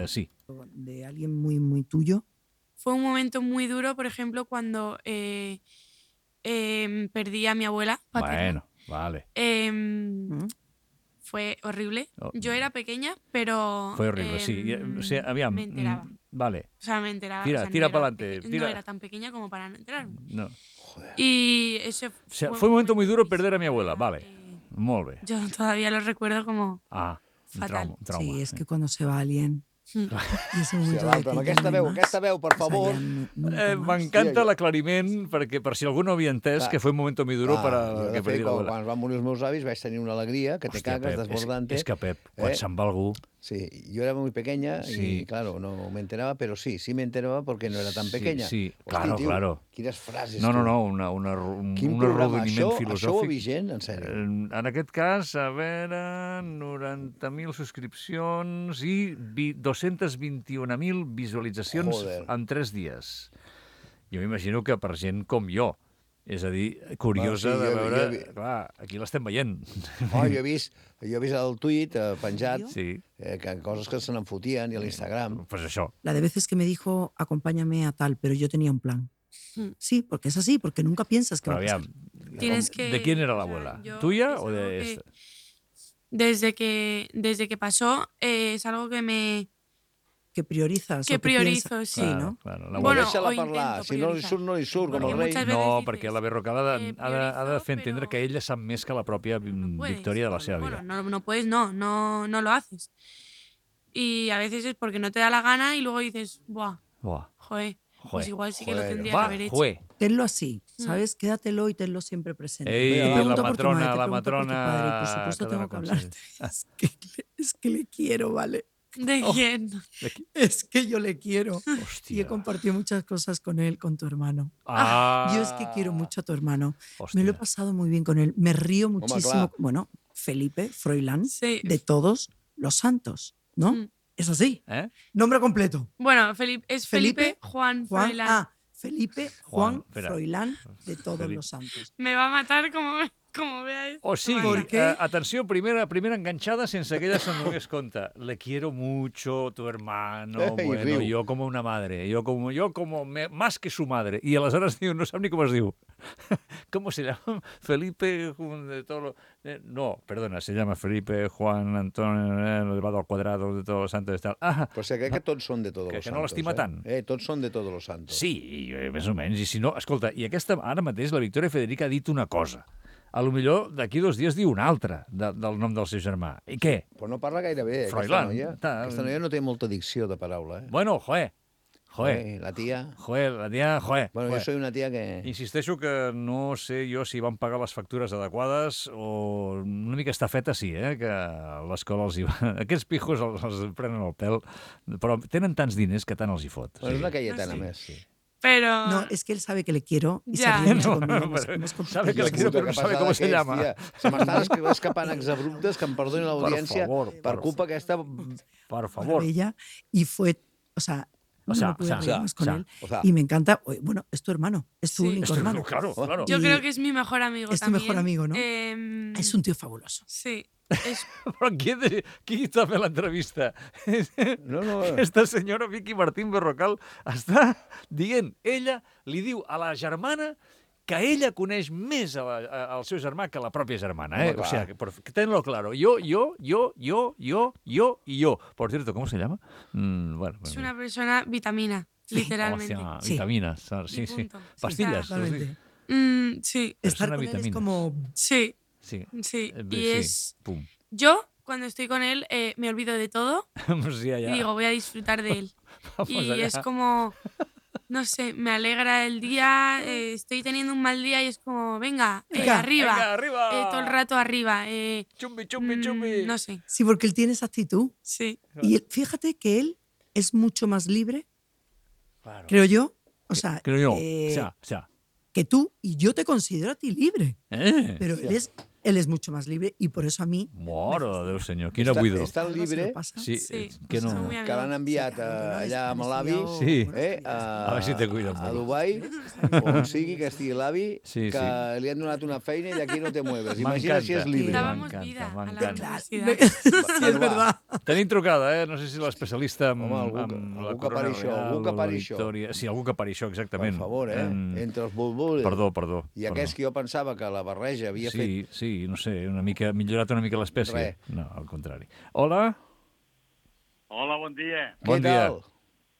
Sí. De alguien muy, muy tuyo. Fue un momento muy duro, por ejemplo, cuando perdí a mi abuela paterna. Bueno, vale. Fue horrible. Yo era pequeña, pero... Fue horrible, sí. O sea, aviam, me enteraba. Vale. O sea, me enteraba. Tira, o sea, tira no para adelante. No era tan pequeña como para no enterarme. No. Joder. Y ese o sea, fue un momento muy duro perder a mi abuela. Vale. Molt bé. Yo todavía lo recuerdo como fatal. Un trauma. Sí, es que cuando se va alguien... Sí, amb aquesta veu, per favor. M'encanta l'aclariment, perquè per si algú no havia entès que fue un moment muy duro para que perdi l'abuela. Quan van morir els meus avis vaig tenir una alegria que te cagues, desbordante. És que, Pep, quan se'n va algú... Sí, yo era muy pequeña y, claro, no me enteraba, pero sí me enteraba porque no era tan pequeña. Sí, claro, tio, claro. Quines frases. No, un arrodoniment filosòfic. Això ho vigent, en sèrio? En aquest cas, a veure, 90.000 subscripcions i 221.000 visualitzacions en 3 dies. Jo m'imagino que per gent com jo, és a dir, curiosa de veure... Clar, aquí l'estem veient. Jo he vist el tuit penjat, que coses que se n'en fotien, i a l'Instagram. Pues això. La de veces que me dijo, acompáñame a tal, pero yo tenía un plan. Sí, porque es así, porque nunca piensas que va a pasar. ¿De quién era la abuela? ¿Tuya o de esta? Desde que pasó, es algo que me... Que priorizas. Que priorizo, sí. ¿no? Bueno, deixa-la parlar. Si no li surt, no li surt, com el rei. No, perquè la Berrocal ha de fer entendre que ella sap més que la pròpia victòria de la seva vida. Bueno, no puedes, no lo haces. Y a veces es porque no te da la gana y luego dices, joder, pues igual sí que lo tendría que haber hecho. Tenlo así, ¿sabes? Quédatelo y tenlo siempre presente. La matrona... Por supuesto tengo que hablarte. Es que le quiero, ¿vale? ¿De quién? Es que yo le quiero. Hostia. Y he compartido muchas cosas con él, con tu hermano. Yo es que quiero mucho a tu hermano. Hostia. Me lo he pasado muy bien con él. Me río muchísimo. Bueno, Felipe Froilán, de todos los santos, ¿no? Es así. Nombre completo. Bueno, Felipe Juan Froilán. Felipe Juan Froilán, de todos los santos. Me va a matar como vea esto. O sigui, atenció, primera enganchada sense que ella se'n donés compte. Le quiero mucho, tu hermano, bueno, yo como una madre, yo como más que su madre. Y aleshores diu, no sap ni com es diu. ¿Cómo se llama? Felipe de todo no, perdona, se llama Felipe Juan Antonio elevado al cuadrado de todos los santos y tal. Però sé que tots són de todos los santos. Que no l'estima tant. Tots són de todos los santos. Sí, més o menys. I si no, escolta, i ara mateix la Victòria Federica ha dit una cosa. A lo millor d'aquí 2 dies diu una altra del nom del seu germà. I què? Però no parla gaire bé, Froilán. Aquesta noia no té molta dicció de paraula. Bueno, La tía. Bueno, yo soy una tía que... Insisteixo que no sé jo si van pagar les factures adequades o una mica estafeta sí, que l'escola els hi va... Aquests pijos els prenen el pèl, però tenen tants diners que tant els hi fot. Bueno, és una Cayetana més, sí. Pero... No, es que él sabe que le quiero y se ríe mucho conmigo. Sabe que le quiero, pero no sabe cómo se llama. Se m'estan escapant exabruptes, que em perdoni l'audiència, per culpa aquesta... Por favor. Ella, y fue, no pude reír más con él. Y me encanta, bueno, es tu hermano, es tu único hermano. Claro. Yo creo que es mi mejor amigo también. Es tu mejor amigo, ¿no? Es un tío fabuloso. Sí. Però qui està fent l'entrevista? No. Esta senyora Vicky Martín Berrocal està dient, ella li diu a la germana que ella coneix més al seu germà que la pròpia germana. O sea, tenlo claro. Yo y yo. Por cierto, ¿cómo se llama? Bueno. Es una persona vitamina, literalmente. Vitaminas, sí. Pastillas. Sí. Estar con él es como... Sí. Y es... Pum. Yo, cuando estoy con él, me olvido de todo y digo, voy a disfrutar de él. Es como... No sé, me alegra el día, estoy teniendo un mal día y es como, venga, arriba. Todo el rato arriba. Chumbi. No sé. Sí, porque él tiene esa actitud. Sí. Y fíjate que él es mucho más libre, creo yo. Creo yo. Que tú, y yo te considero a ti libre. Pero él es él es mucho más libre y por eso a mí... Mare de Déu, senyor, quina buidor. És tan libre Sí, que l'han enviat allà amb l'avi, a veure si te cuida a Dubai, on sigui que estigui l'avi, que li han donat una feina i d'aquí no te mueves. Imagina si és libre. Dábamos vida a la universidad. És verdad. Tenim trucada, no sé si l'especialista amb algú que pari això, algú que pari això. Sí, algú que pari això, exactament. Per favor, entre els bulbuls. Perdó. I aquest que jo pensava que la barreja havia fet... Sí, no sé, millorat una mica l'espècie. No, al contrari. Hola. Hola, bon dia. Bon dia.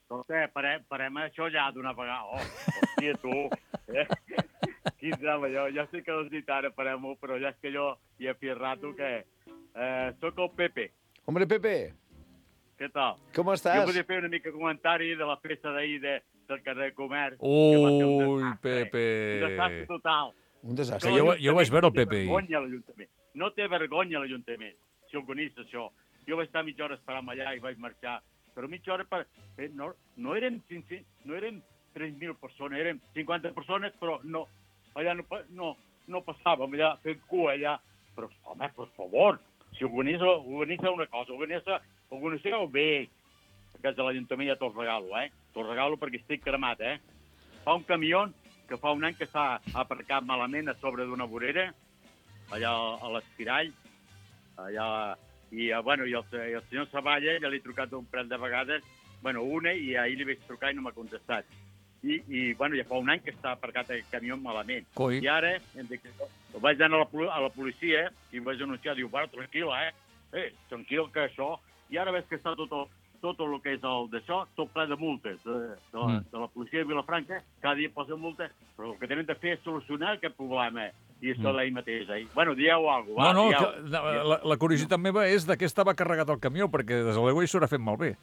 Escolta, parem això ja d'una vegada. Hòstia, tu. Quin drama, jo sé que no has dit ara parem-ho, però ja és que jo hi he fet rato que... Soc el Pepe. Hombre, Pepe. Què tal? Com estàs? Jo volia fer una mica de comentari de la festa d'ahir del carrer Comerç. Ui, Pepe. Un desastre total. Un desastre. Jo vaig veure el Pepe. No té vergonya l'Ajuntament, si organitza això. Jo vaig estar mitja hora esperant allà i vaig marxar. Però mitja hora no érem 3.000 persones, érem 50 persones, però allà no passàvem allà fent cua allà. Però, home, per favor, si organitza una cosa, organitza bé. Aquest de l'Ajuntament ja te'l regalo, Te'l regalo perquè estic cremat, Fa un camió que fa un any que s'ha aparcat malament a sobre d'una vorera, allà a l'Espirall, i el senyor Savalla ja li he trucat un parell de vegades, una, i ahir li vaig trucar i no m'ha contestat. I ja fa un any que està aparcat el camió malament. Coi. I ara vaig anar a la policia i vaig anunciar, diu, tranquil, tranquil que això, i ara veig que està tot el que és el d'això, tot ple de multes de la policia de Vilafranca, cada dia posa multes, però el que tenen de fer és solucionar aquest problema, i això d'ahir mateix. Dieu alguna cosa. La curiositat meva és de què estava carregat el camió, perquè des de l'aigua hi s'haurà fet malbé.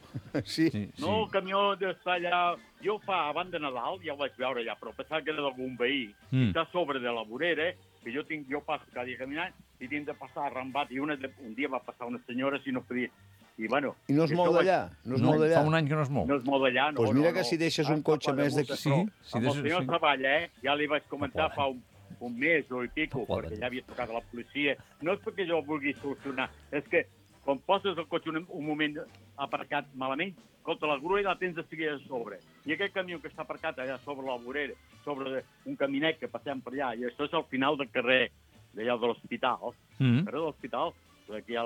Sí. No, el camió està allà... Jo abans de Nadal ja ho vaig veure allà, però pensava que era d'algun veí. Està a sobre de la vorera, que jo passo cada dia caminant, i tinc de passar arrambat, i un dia va passar una senyora si no podia... I no es mou d'allà? Fa un any que no es mou. No es mou d'allà, no. Doncs mira que si deixes un cotxe més d'aquí... Amb el senyor Savalla, ja li vaig comentar fa un mes o i pico, perquè ja havia trucat a la policia. No és perquè jo ho vulgui solucionar, és que quan poses el cotxe un moment aparcat malament, escolta, la grua la tens de seguir a sobre. I aquest camió que està aparcat allà sobre la vorera, sobre un caminet que passem per allà, i això és al final del carrer d'allà de l'hospital, el carrer de l'hospital, aquí hi ha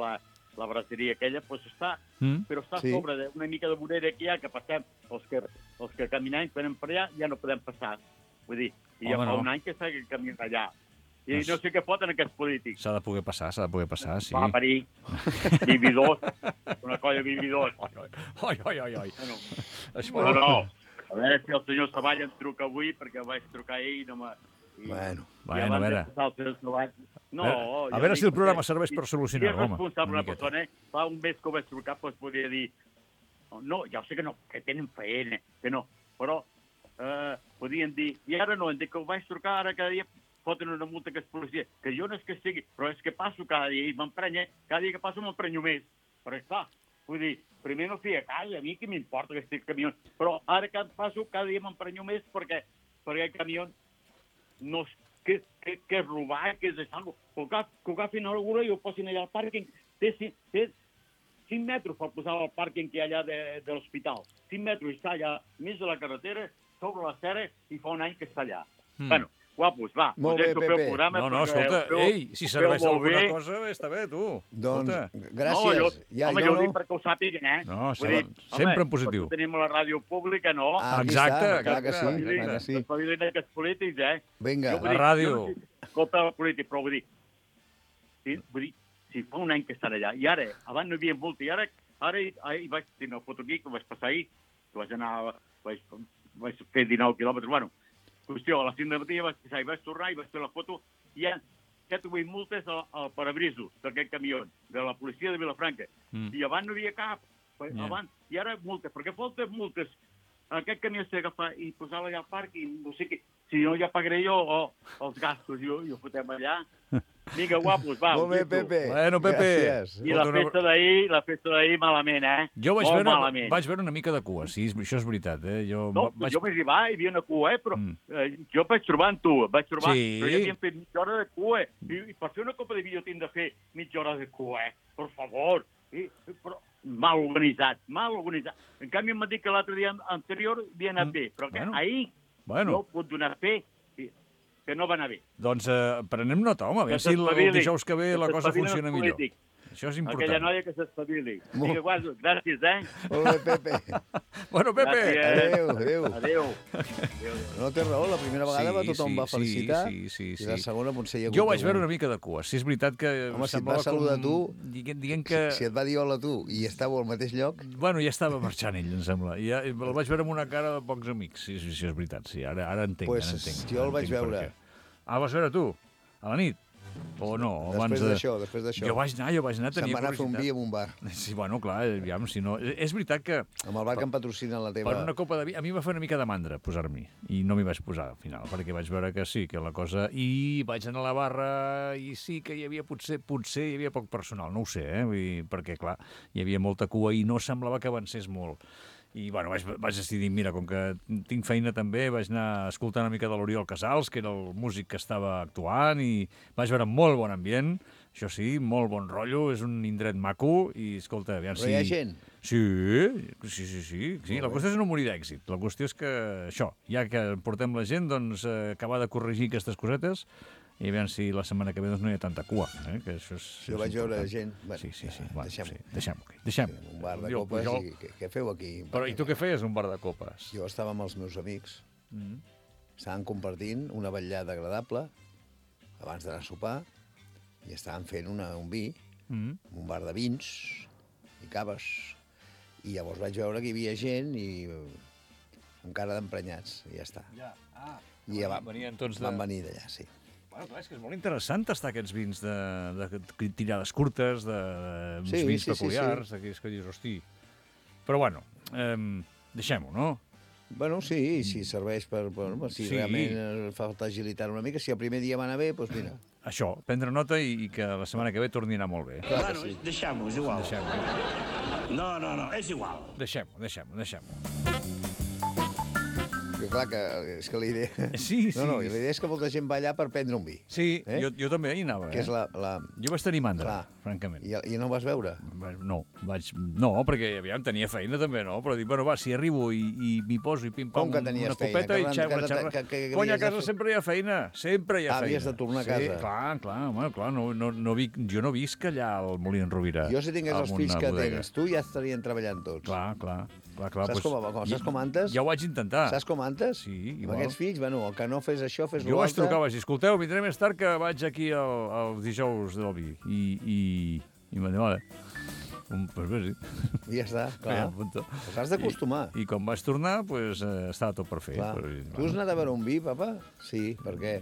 la braseria aquella, doncs està, però està sobre una mica de vorera que hi ha, que passem, els que caminem, venen per allà, ja no podem passar. Vull dir, i ja fa un any que està caminant allà. I no sé què foten aquests polítics. S'ha de poder passar, sí. Va parir, vividors, una colla de vividors. Oi. No. A veure si el senyor Savalla em truca avui, perquè vaig trucar ell i no m'ha... Bueno, a veure. A veure si el programa serveix per solucionar-ho, home. Si és responsable una persona, fa un mes que ho vaig trucar, doncs podria dir... No, ja ho sé que no, que tenen feina, que no, però podien dir... I ara no, que ho vaig trucar, ara cada dia foten una multa que és policia, que jo no és que estigui, però és que passo cada dia i m'emprenya, cada dia que passo m'emprenyo més. Però està, vull dir, primer no feia cas, a mi què m'importa que estigui camió, però ara que passo cada dia m'emprenyo més perquè el camió no és que és robar, que és deixar que ho agafin a l'algú i ho posin allà al pàrquing. Té 5 metres per posar al pàrquing que hi ha allà de l'hospital. 5 metres i està allà mig de la carretera, sobre la serra, i fa un any que està allà. Bueno, guapos, va. Molt bé, Pepe. No, escolta, si serveix alguna cosa, està bé, tu. Doncs, gràcies. Home, jo ho dic perquè ho sàpiguen, No, sempre en positiu. Tenim la ràdio pública, no? Exacte. Clar que sí. Espavilin aquests polítics, Vinga. La ràdio. Escolta el polític, però vull dir, si fa un any que estan allà, i ara, abans no hi havia multa, i ara hi vaig tenir una foto aquí, que vaig passar ahir, que vaig fer 19 quilòmetres, bueno, qüestió, a les 5 de matí vaig passar i vaig tornar i vaig fer la foto, i hi ha 7 o 8 multes al parabrisos d'aquest camió, de la policia de Vilafranca, i abans no hi havia cap, i ara multes, perquè falten multes, aquest camió s'ha d'agafar i posar-la allà al parc, i no sé què, si no ja pagaré jo els gastos i ho fotem allà. Vinga, guapos, va. Molt bé, Pepe. Bueno, Pepe. Gràcies. I la festa d'ahir malament, eh? Jo vaig veure una mica de cua, sí, això és veritat, eh? Jo vaig arribar, hi havia una cua, però jo vaig trobar amb tu, però ja havíem fet mitja hora de cua, i per fer una copa de vi jo tinc de fer mitja hora de cua, per favor. Però mal organitzat. En canvi m'ha dit que l'altre dia anterior havia anat bé, però que ahir no pot donar fe que no va anar bé. Doncs prenem nota, home, a veure si el dijous que ve la cosa funciona millor. Això és important. Aquella noia que s'espavili. Vinga, guaso, gràcies, Molt bé, Pepe. Bueno, Pepe. Adéu. No té raó, la primera vegada tothom va felicitar i la segona potser hi ha hagut... Jo vaig veure una mica de cua. Si és veritat que... Home, si et va saludar tu, si et va dir hola tu i estàveu al mateix lloc... Bueno, ja estava marxant ell, em sembla. I el vaig veure amb una cara de pocs amics, si és veritat, sí. Ara entenc. Jo el vaig veure. Ah, vas veure tu? A la nit? O no? Després d'això. Jo vaig anar, se'n va anar a fer un vi en un bar. Sí, bueno, clar, aviam, si no... És veritat que... Amb el bar que em patrocina la teva... Per una copa de vi... A mi em va fer una mica de mandra posar-m'hi. I no m'hi vaig posar, al final, perquè vaig veure que sí, que la cosa... I vaig anar a la barra i sí que hi havia potser hi havia poc personal, no ho sé, perquè, clar, hi havia molta cua i no semblava que avancés molt. I, bueno, vaig decidir, mira, com que tinc feina també, vaig anar a escoltar una mica de l'Oriol Casals, que era el músic que estava actuant, i vaig veure molt bon ambient, això sí, molt bon rotllo, és un indret maco, i, escolta, aviam si... Però hi ha gent? Sí. La qüestió és no morir d'èxit. La qüestió és que, això, ja que portem la gent, doncs, acabar de corregir aquestes cosetes, i a veure si la setmana que ve doncs, no hi ha tanta cua. Que això és, jo vaig veure gent... Bueno, sí. Deixem-ho. Un bar de copes i què feu aquí? Però i tu què feies, un bar de copes? Jo estava amb els meus amics. Estaven compartint una vetllada agradable abans d'anar a sopar i estaven fent un vi, un bar de vins i caves. I llavors vaig veure que hi havia gent i amb cara d'emprenyats, i ja està. I ja van venir d'allà, sí. Bueno, clar, és que és molt interessant tastar aquests vins de tirades curtes, d'uns vins peculiars, aquells que dius, hosti... Però, bueno, deixem-ho, no? Bueno, sí, si serveix per... Si realment falta agilitar una mica, si el primer dia va anar bé, doncs mira. Això, prendre nota i que la setmana que ve torni a anar molt bé. Bueno, deixem-ho, és igual. No, és igual. Deixem-ho. Que clar, és que la idea... Sí. No, la idea és que molta gent va allà per prendre un vi. Sí, jo també hi anava. Que és la... Jo vaig tenir mandra, francament. I no ho vas veure? No, perquè aviam, tenia feina també, no? Però dic, bueno, va, si arribo i m'hi poso i pim-pam una copeta i xerra... Cony, a casa sempre hi ha feina, Havies de tornar a casa. Clar, jo no visc allà al Molí d'en Rovira. Jo si tingués els fills que tens, tu ja estarien treballant tots. Clar. Saps com antes? Ja ho vaig intentar. Saps com antes? Sí, igual. Amb aquests fills, bueno, el que no fes això, fes l'altre. Jo vaig trucar, vaig dir, escolteu, vindré més tard que vaig aquí els dijous del vi. I m'ha dit, vale. Pues bé, sí. I ja està, clar. Pues has d'acostumar. I quan vaig tornar, pues, estava tot per fer. Tu has anat a veure un vi, papa? Sí, per què?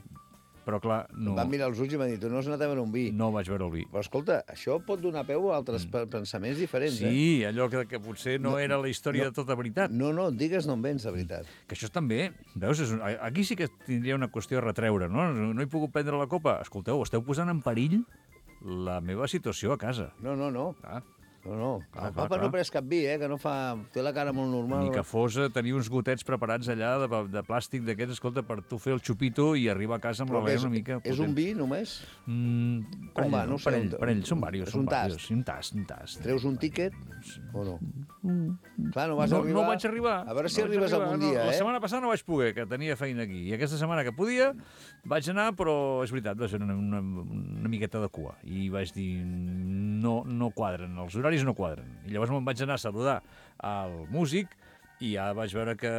Però, clar, no... Em van mirar els ulls i m'han dit, tu no has anat a veure un vi. No vaig veure el vi. Però, escolta, això pot donar peu a altres pensaments diferents, Sí, allò que potser no era la història de tota veritat. No, digues no en vens, de veritat. Que això també, veus, aquí sí que tindria una qüestió a retreure, no? No he pogut prendre la copa. Escolteu, esteu posant en perill la meva situació a casa. No. No. El papa no pres cap vi, que no fa... Té la cara molt normal. Ni que fos tenir uns gotets preparats allà de plàstic d'aquests, escolta, per tu fer el xupito i arribar a casa amb l'alè una mica... És un vi, només? Com va? No sé. Parell, són diversos. És un tast? Un tast. Treus un tíquet o no? Clar, no vas arribar... No vaig arribar. A veure si arribes algun dia, La setmana passada no vaig poder, que tenia feina aquí. I aquesta setmana que podia vaig anar, però és veritat, va ser una miqueta de cua. I vaig dir, no quadren, els horaris no quadren. I llavors me'n vaig anar a saludar al músic i ja vaig veure que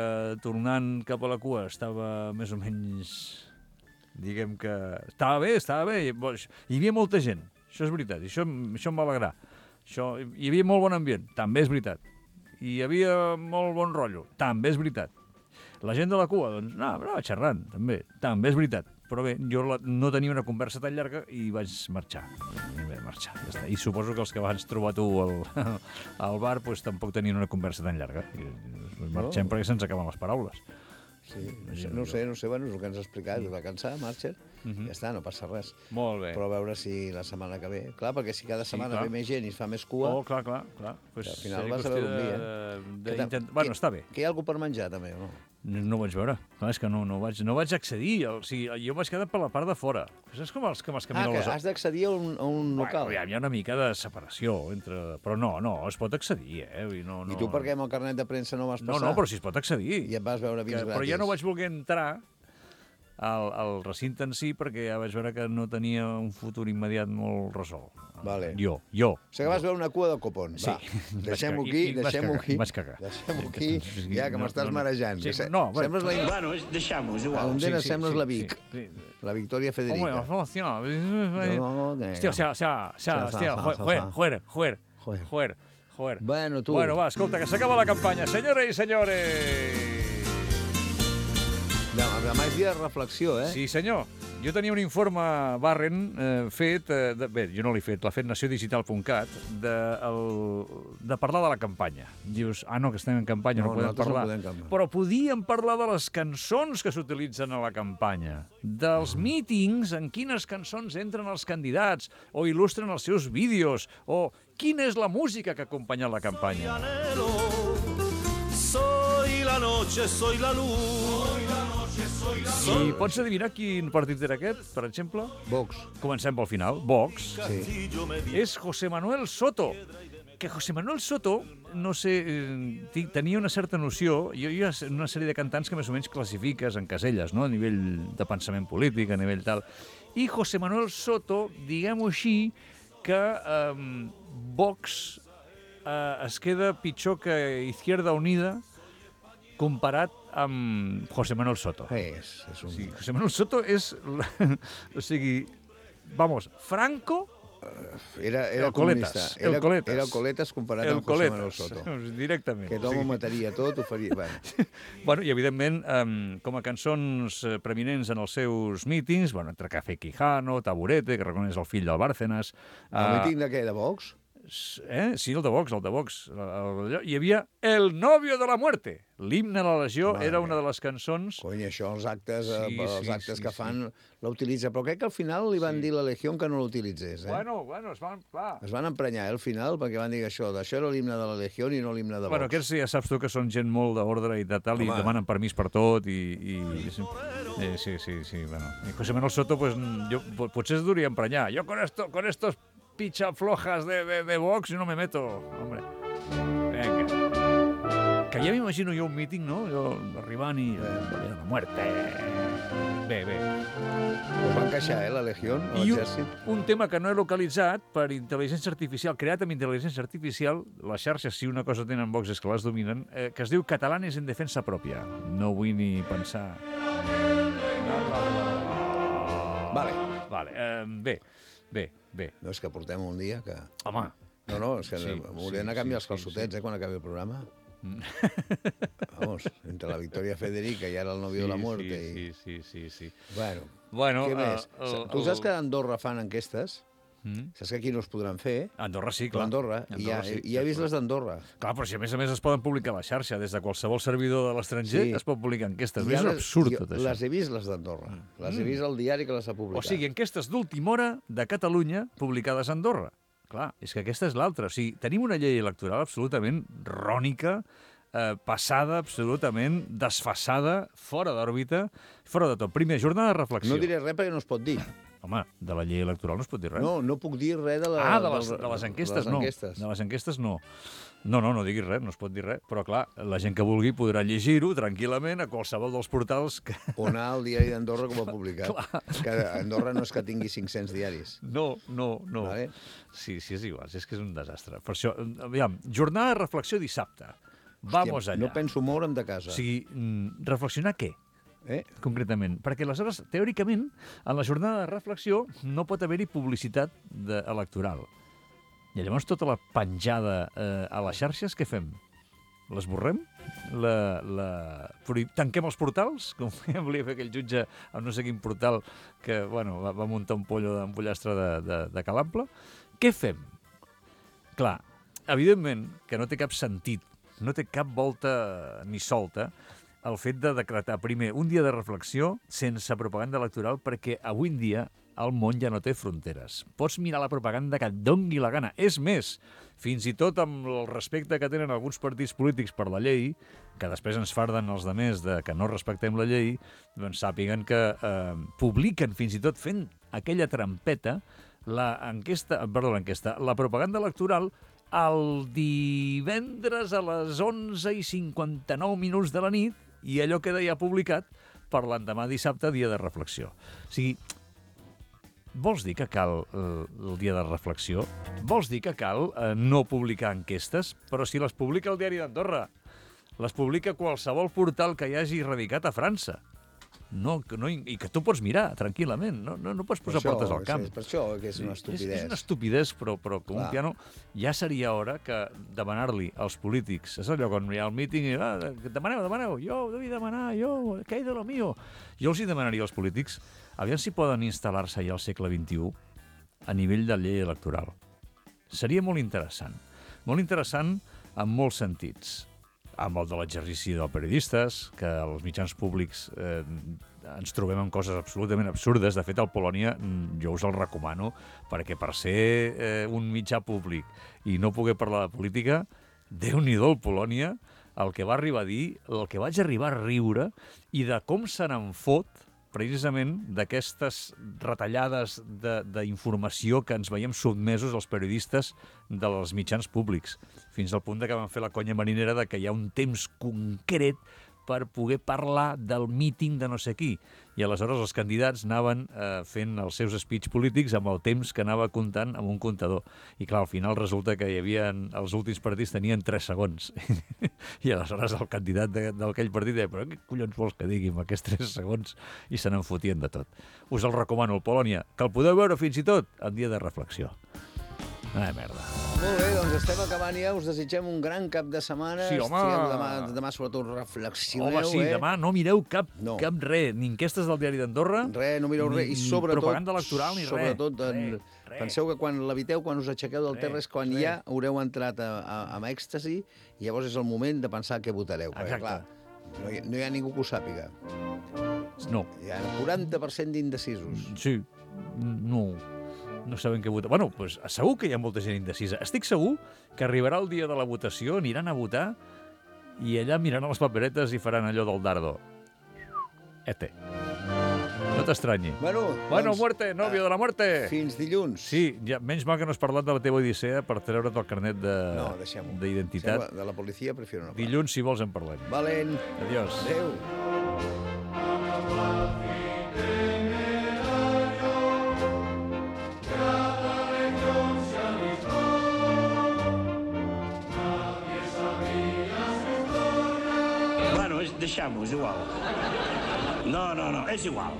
tornant cap a la cua estava més o menys... Diguem que... Estava bé. Hi havia molta gent, això és veritat. I això em va alegrar. Hi havia molt bon ambient, també és veritat. Hi havia molt bon rotllo, també és veritat. La gent de la cua, doncs, anava xerrant, també és veritat. Però bé, jo no tenia una conversa tan llarga i vaig marxar. Ja està. I suposo que els que vas trobar tu al bar doncs, tampoc tenien una conversa tan llarga. Marxem perquè se'ns acaben les paraules. Sí, no sé, bueno, és el que ens ha explicat, es va cansar, Marcher, ja està, no passa res. Molt bé. Però a veure si la setmana que ve... Clar, perquè si cada setmana ve més gent i es fa més cua... Oh, clar. Pues al final vas a veure un dia. Bueno, està bé. Que hi ha algú per menjar, també, o no? No ho vaig veure. Clar, és que no vaig accedir. O sigui, jo vaig quedar per la part de fora. És com els camins a les... has d'accedir a un local. Bueno, hi ha una mica de separació entre... Però no, es pot accedir, I tu per què amb el carnet de premsa no vas passar? No, però si es pot accedir. I et vas veure vins gratis. Però ja no vaig voler entrar al recinte en si perquè ja vaig veure que no tenia un futur immediat molt resolt. Vale. Jo. O sigui que vas veure una cua de copon. Sí. Va, deixem-ho aquí. Vaig cagar. Deixem-ho aquí, ja que m'estàs marejant. Sembles la... Bueno, deixamos, igual. A Ondena sembles la Vic. La Victoria Federica. Hòstia, joder. Bueno, tu. Bueno, va, escolta, que s'acaba la campanya. Senyores i senyores. Demà és dia de reflexió, eh? Sí, senyor. Jo tenia un informe Barren fet, bé, jo no l'he fet, l'ha fet naciodigital.cat, de parlar de la campanya. Dius, no, que estem en campanya, no podem parlar. Però podíem parlar de les cançons que s'utilitzen a la campanya, dels mítings, en quines cançons entren els candidats, o il·lustren els seus vídeos, o quina és la música que acompanya la campanya. Soy la noche, soy la luz. I pots adivinar quin partit era aquest, per exemple? Vox. Comencem pel final. Vox. Sí. És José Manuel Soto. Que José Manuel Soto, no sé, tenia una certa noció. Jo hi ha una sèrie de cantants que més o menys classifiques en caselles, no? A nivell de pensament polític, a nivell tal. I José Manuel Soto, diguem-ho així, que Vox es queda pitjor que Izquierda Unida comparat amb José Manuel Soto. Sí, José Manuel Soto és... O sigui, vamos, Franco... Era comunista. Era el Coletas comparat amb José Manuel Soto. Directament. Que d'home ho mataria tot, ho faria... Bueno, i evidentment, com a cançons preeminents en els seus mítings, entre Café Quijano, Taburete, que reconeix el fill del Bárcenas... El míting de què, de Vox? Sí, el de Vox. Hi havia El novio de la muerte. L'himne a la Legió era una de les cançons... Cony, això, els actes que fan la utilitza. Però crec que al final li van dir a la Legió que no l'utilitzés. Bueno, es van emprenyar al final perquè van dir això era l'himne de la Legió i no l'himne de Vox. Bueno, aquests ja saps tu que són gent molt d'ordre i de tal, i demanen permís per tot, i... Sí, bueno. I José Manuel Soto, pues, potser es duria emprenyar. Jo con estos pichaflojas de Vox no me meto, hombre. Venga. Que ja m'imagino jo un míting, no? Jo arribant i... la muerte. Bé. Us van queixar, la Legió, l'exèrcit? I un tema que no he localitzat per intel·ligència artificial, creat amb intel·ligència artificial, les xarxes, si una cosa tenen Vox és que les dominen, que es diu Catalanes en defensa pròpia. No vull ni pensar... Vale. Bé. No, és que portem un dia que... Home. No, és que m'haurien de canviar els calçotets, quan acabi el programa. Vamos, entre la Victoria Federica i ara el novio de la muerte. Sí. Bueno, què més? Tu saps que a Andorra fan enquestes? Saps que aquí no es podran fer? Andorra sí, clar. Andorra, i he vist les d'Andorra. Clar, però si a més es poden publicar a la xarxa, des de qualsevol servidor de l'estranger es pot publicar enquestes. És absurd tot això. Les he vist, les d'Andorra. Les he vist al diari que les ha publicat. O sigui, enquestes d'última hora de Catalunya publicades a Andorra. Clar, és que aquesta és l'altra. O sigui, tenim una llei electoral absolutament rònica, passada, absolutament desfasada, fora d'òrbita, fora de tot. Primer, jornada de reflexió. No diré res perquè no es pot dir. Home, de la llei electoral no es pot dir res. No puc dir res de les enquestes, no. De les enquestes, no. No diguis res, no es pot dir res. Però, clar, la gent que vulgui podrà llegir-ho tranquil·lament a qualsevol dels portals que... O anar al diari d'Andorra com ha publicat. Que Andorra no és que tingui 500 diaris. No. Vale? Sí, és igual, és que és un desastre. Per això, aviam, jornada de reflexió dissabte. Vamos allà. No penso moure'm de casa. O sigui, reflexionar què? Concretament. Perquè aleshores, teòricament, en la jornada de reflexió no pot haver-hi publicitat electoral. I llavors tota la penjada a les xarxes, què fem? L'esborrem? Tanquem els portals? Com volia fer aquell jutge a no sé quin portal que va muntar un pollastre de Calample. Què fem? Clar, evidentment que no té cap sentit, no té cap volta ni solta el fet de decretar primer un dia de reflexió sense propaganda electoral, perquè avui en dia el món ja no té fronteres. Pots mirar la propaganda que et dongui la gana. És més, fins i tot amb el respecte que tenen alguns partits polítics per la llei, que després ens farden els demés de que no respectem la llei, doncs sàpiguen que publiquen, fins i tot fent aquella trampeta, la propaganda electoral el divendres a les 11:59 de la nit, i allò queda ja publicat per l'endemà dissabte, dia de reflexió. O sigui, vols dir que cal el dia de reflexió? Vols dir que cal no publicar enquestes? Però si les publica el Diari d'Andorra, les publica qualsevol portal que hi hagi radicat a França. I que tu pots mirar tranquil·lament, no pots posar portes al camp. Per això que és una estupidesa. És una estupidesa, però com un piano ja seria hora que demanar-li als polítics, és allò quan hi ha el míting i demaneu, jo devi demanar, què hi de lo mío? Jo els hi demanaria als polítics, aviam si poden instal·lar-se ja al segle XXI a nivell de llei electoral. Seria molt interessant en molts sentits. Amb el de l'exercici dels periodistes, que els mitjans públics ens trobem amb coses absolutament absurdes. De fet, al Polònia jo us el recomano, perquè per ser un mitjà públic i no poder parlar de política, Déu-n'hi-do el Polònia, el que va arribar a dir, el que vaig arribar a riure, i de com se n'en fot precisament d'aquestes retallades d'informació que ens veiem sotmesos els periodistes dels mitjans públics, fins al punt que van fer la conya marinera de que hi ha un temps concret per poder parlar del míting de no sé qui. I aleshores els candidats anaven fent els seus speech polítics amb el temps que anava comptant amb un comptador. I clar, al final resulta que els últims partits tenien 3 segons. I aleshores el candidat d'aquell partit deia, però què collons vols que digui amb aquests 3 segons? I se n'en fotien de tot. Us el recomano, el Polònia, que el podeu veure fins i tot en dia de reflexió. Merda. Molt bé, doncs estem acabant ja. Us desitgem un gran cap de setmana. Sí, home. Demà sobretot reflexioneu. Home, sí, demà no mireu cap res, ni enquestes del Diari d'Andorra. Res, no mireu res. I sobretot, propaganda electoral, ni res. Sobretot, penseu que quan leviteu, quan us aixequeu del terra, és quan ja haureu entrat amb èxtasi, i llavors és el moment de pensar què votareu. Perquè, clar, no hi ha ningú que ho sàpiga. No. Hi ha 40% d'indecisos. Sí, no saben què votar. Bueno, doncs segur que hi ha molta gent indecisa. Estic segur que arribarà el dia de la votació, aniran a votar i allà miraran les paperetes i faran allò del dardo. No t'estranyi. Bueno, muerte, novio de la muerte. Fins dilluns. Sí, ja, menys mal que no has parlat de la teva odissea per treure't el carnet d'identitat. De la policia prefiero no parlar. Dilluns, si vols, en parlem. Valent. Adiós. Adéu. Deixem-ho, és igual. No, és igual.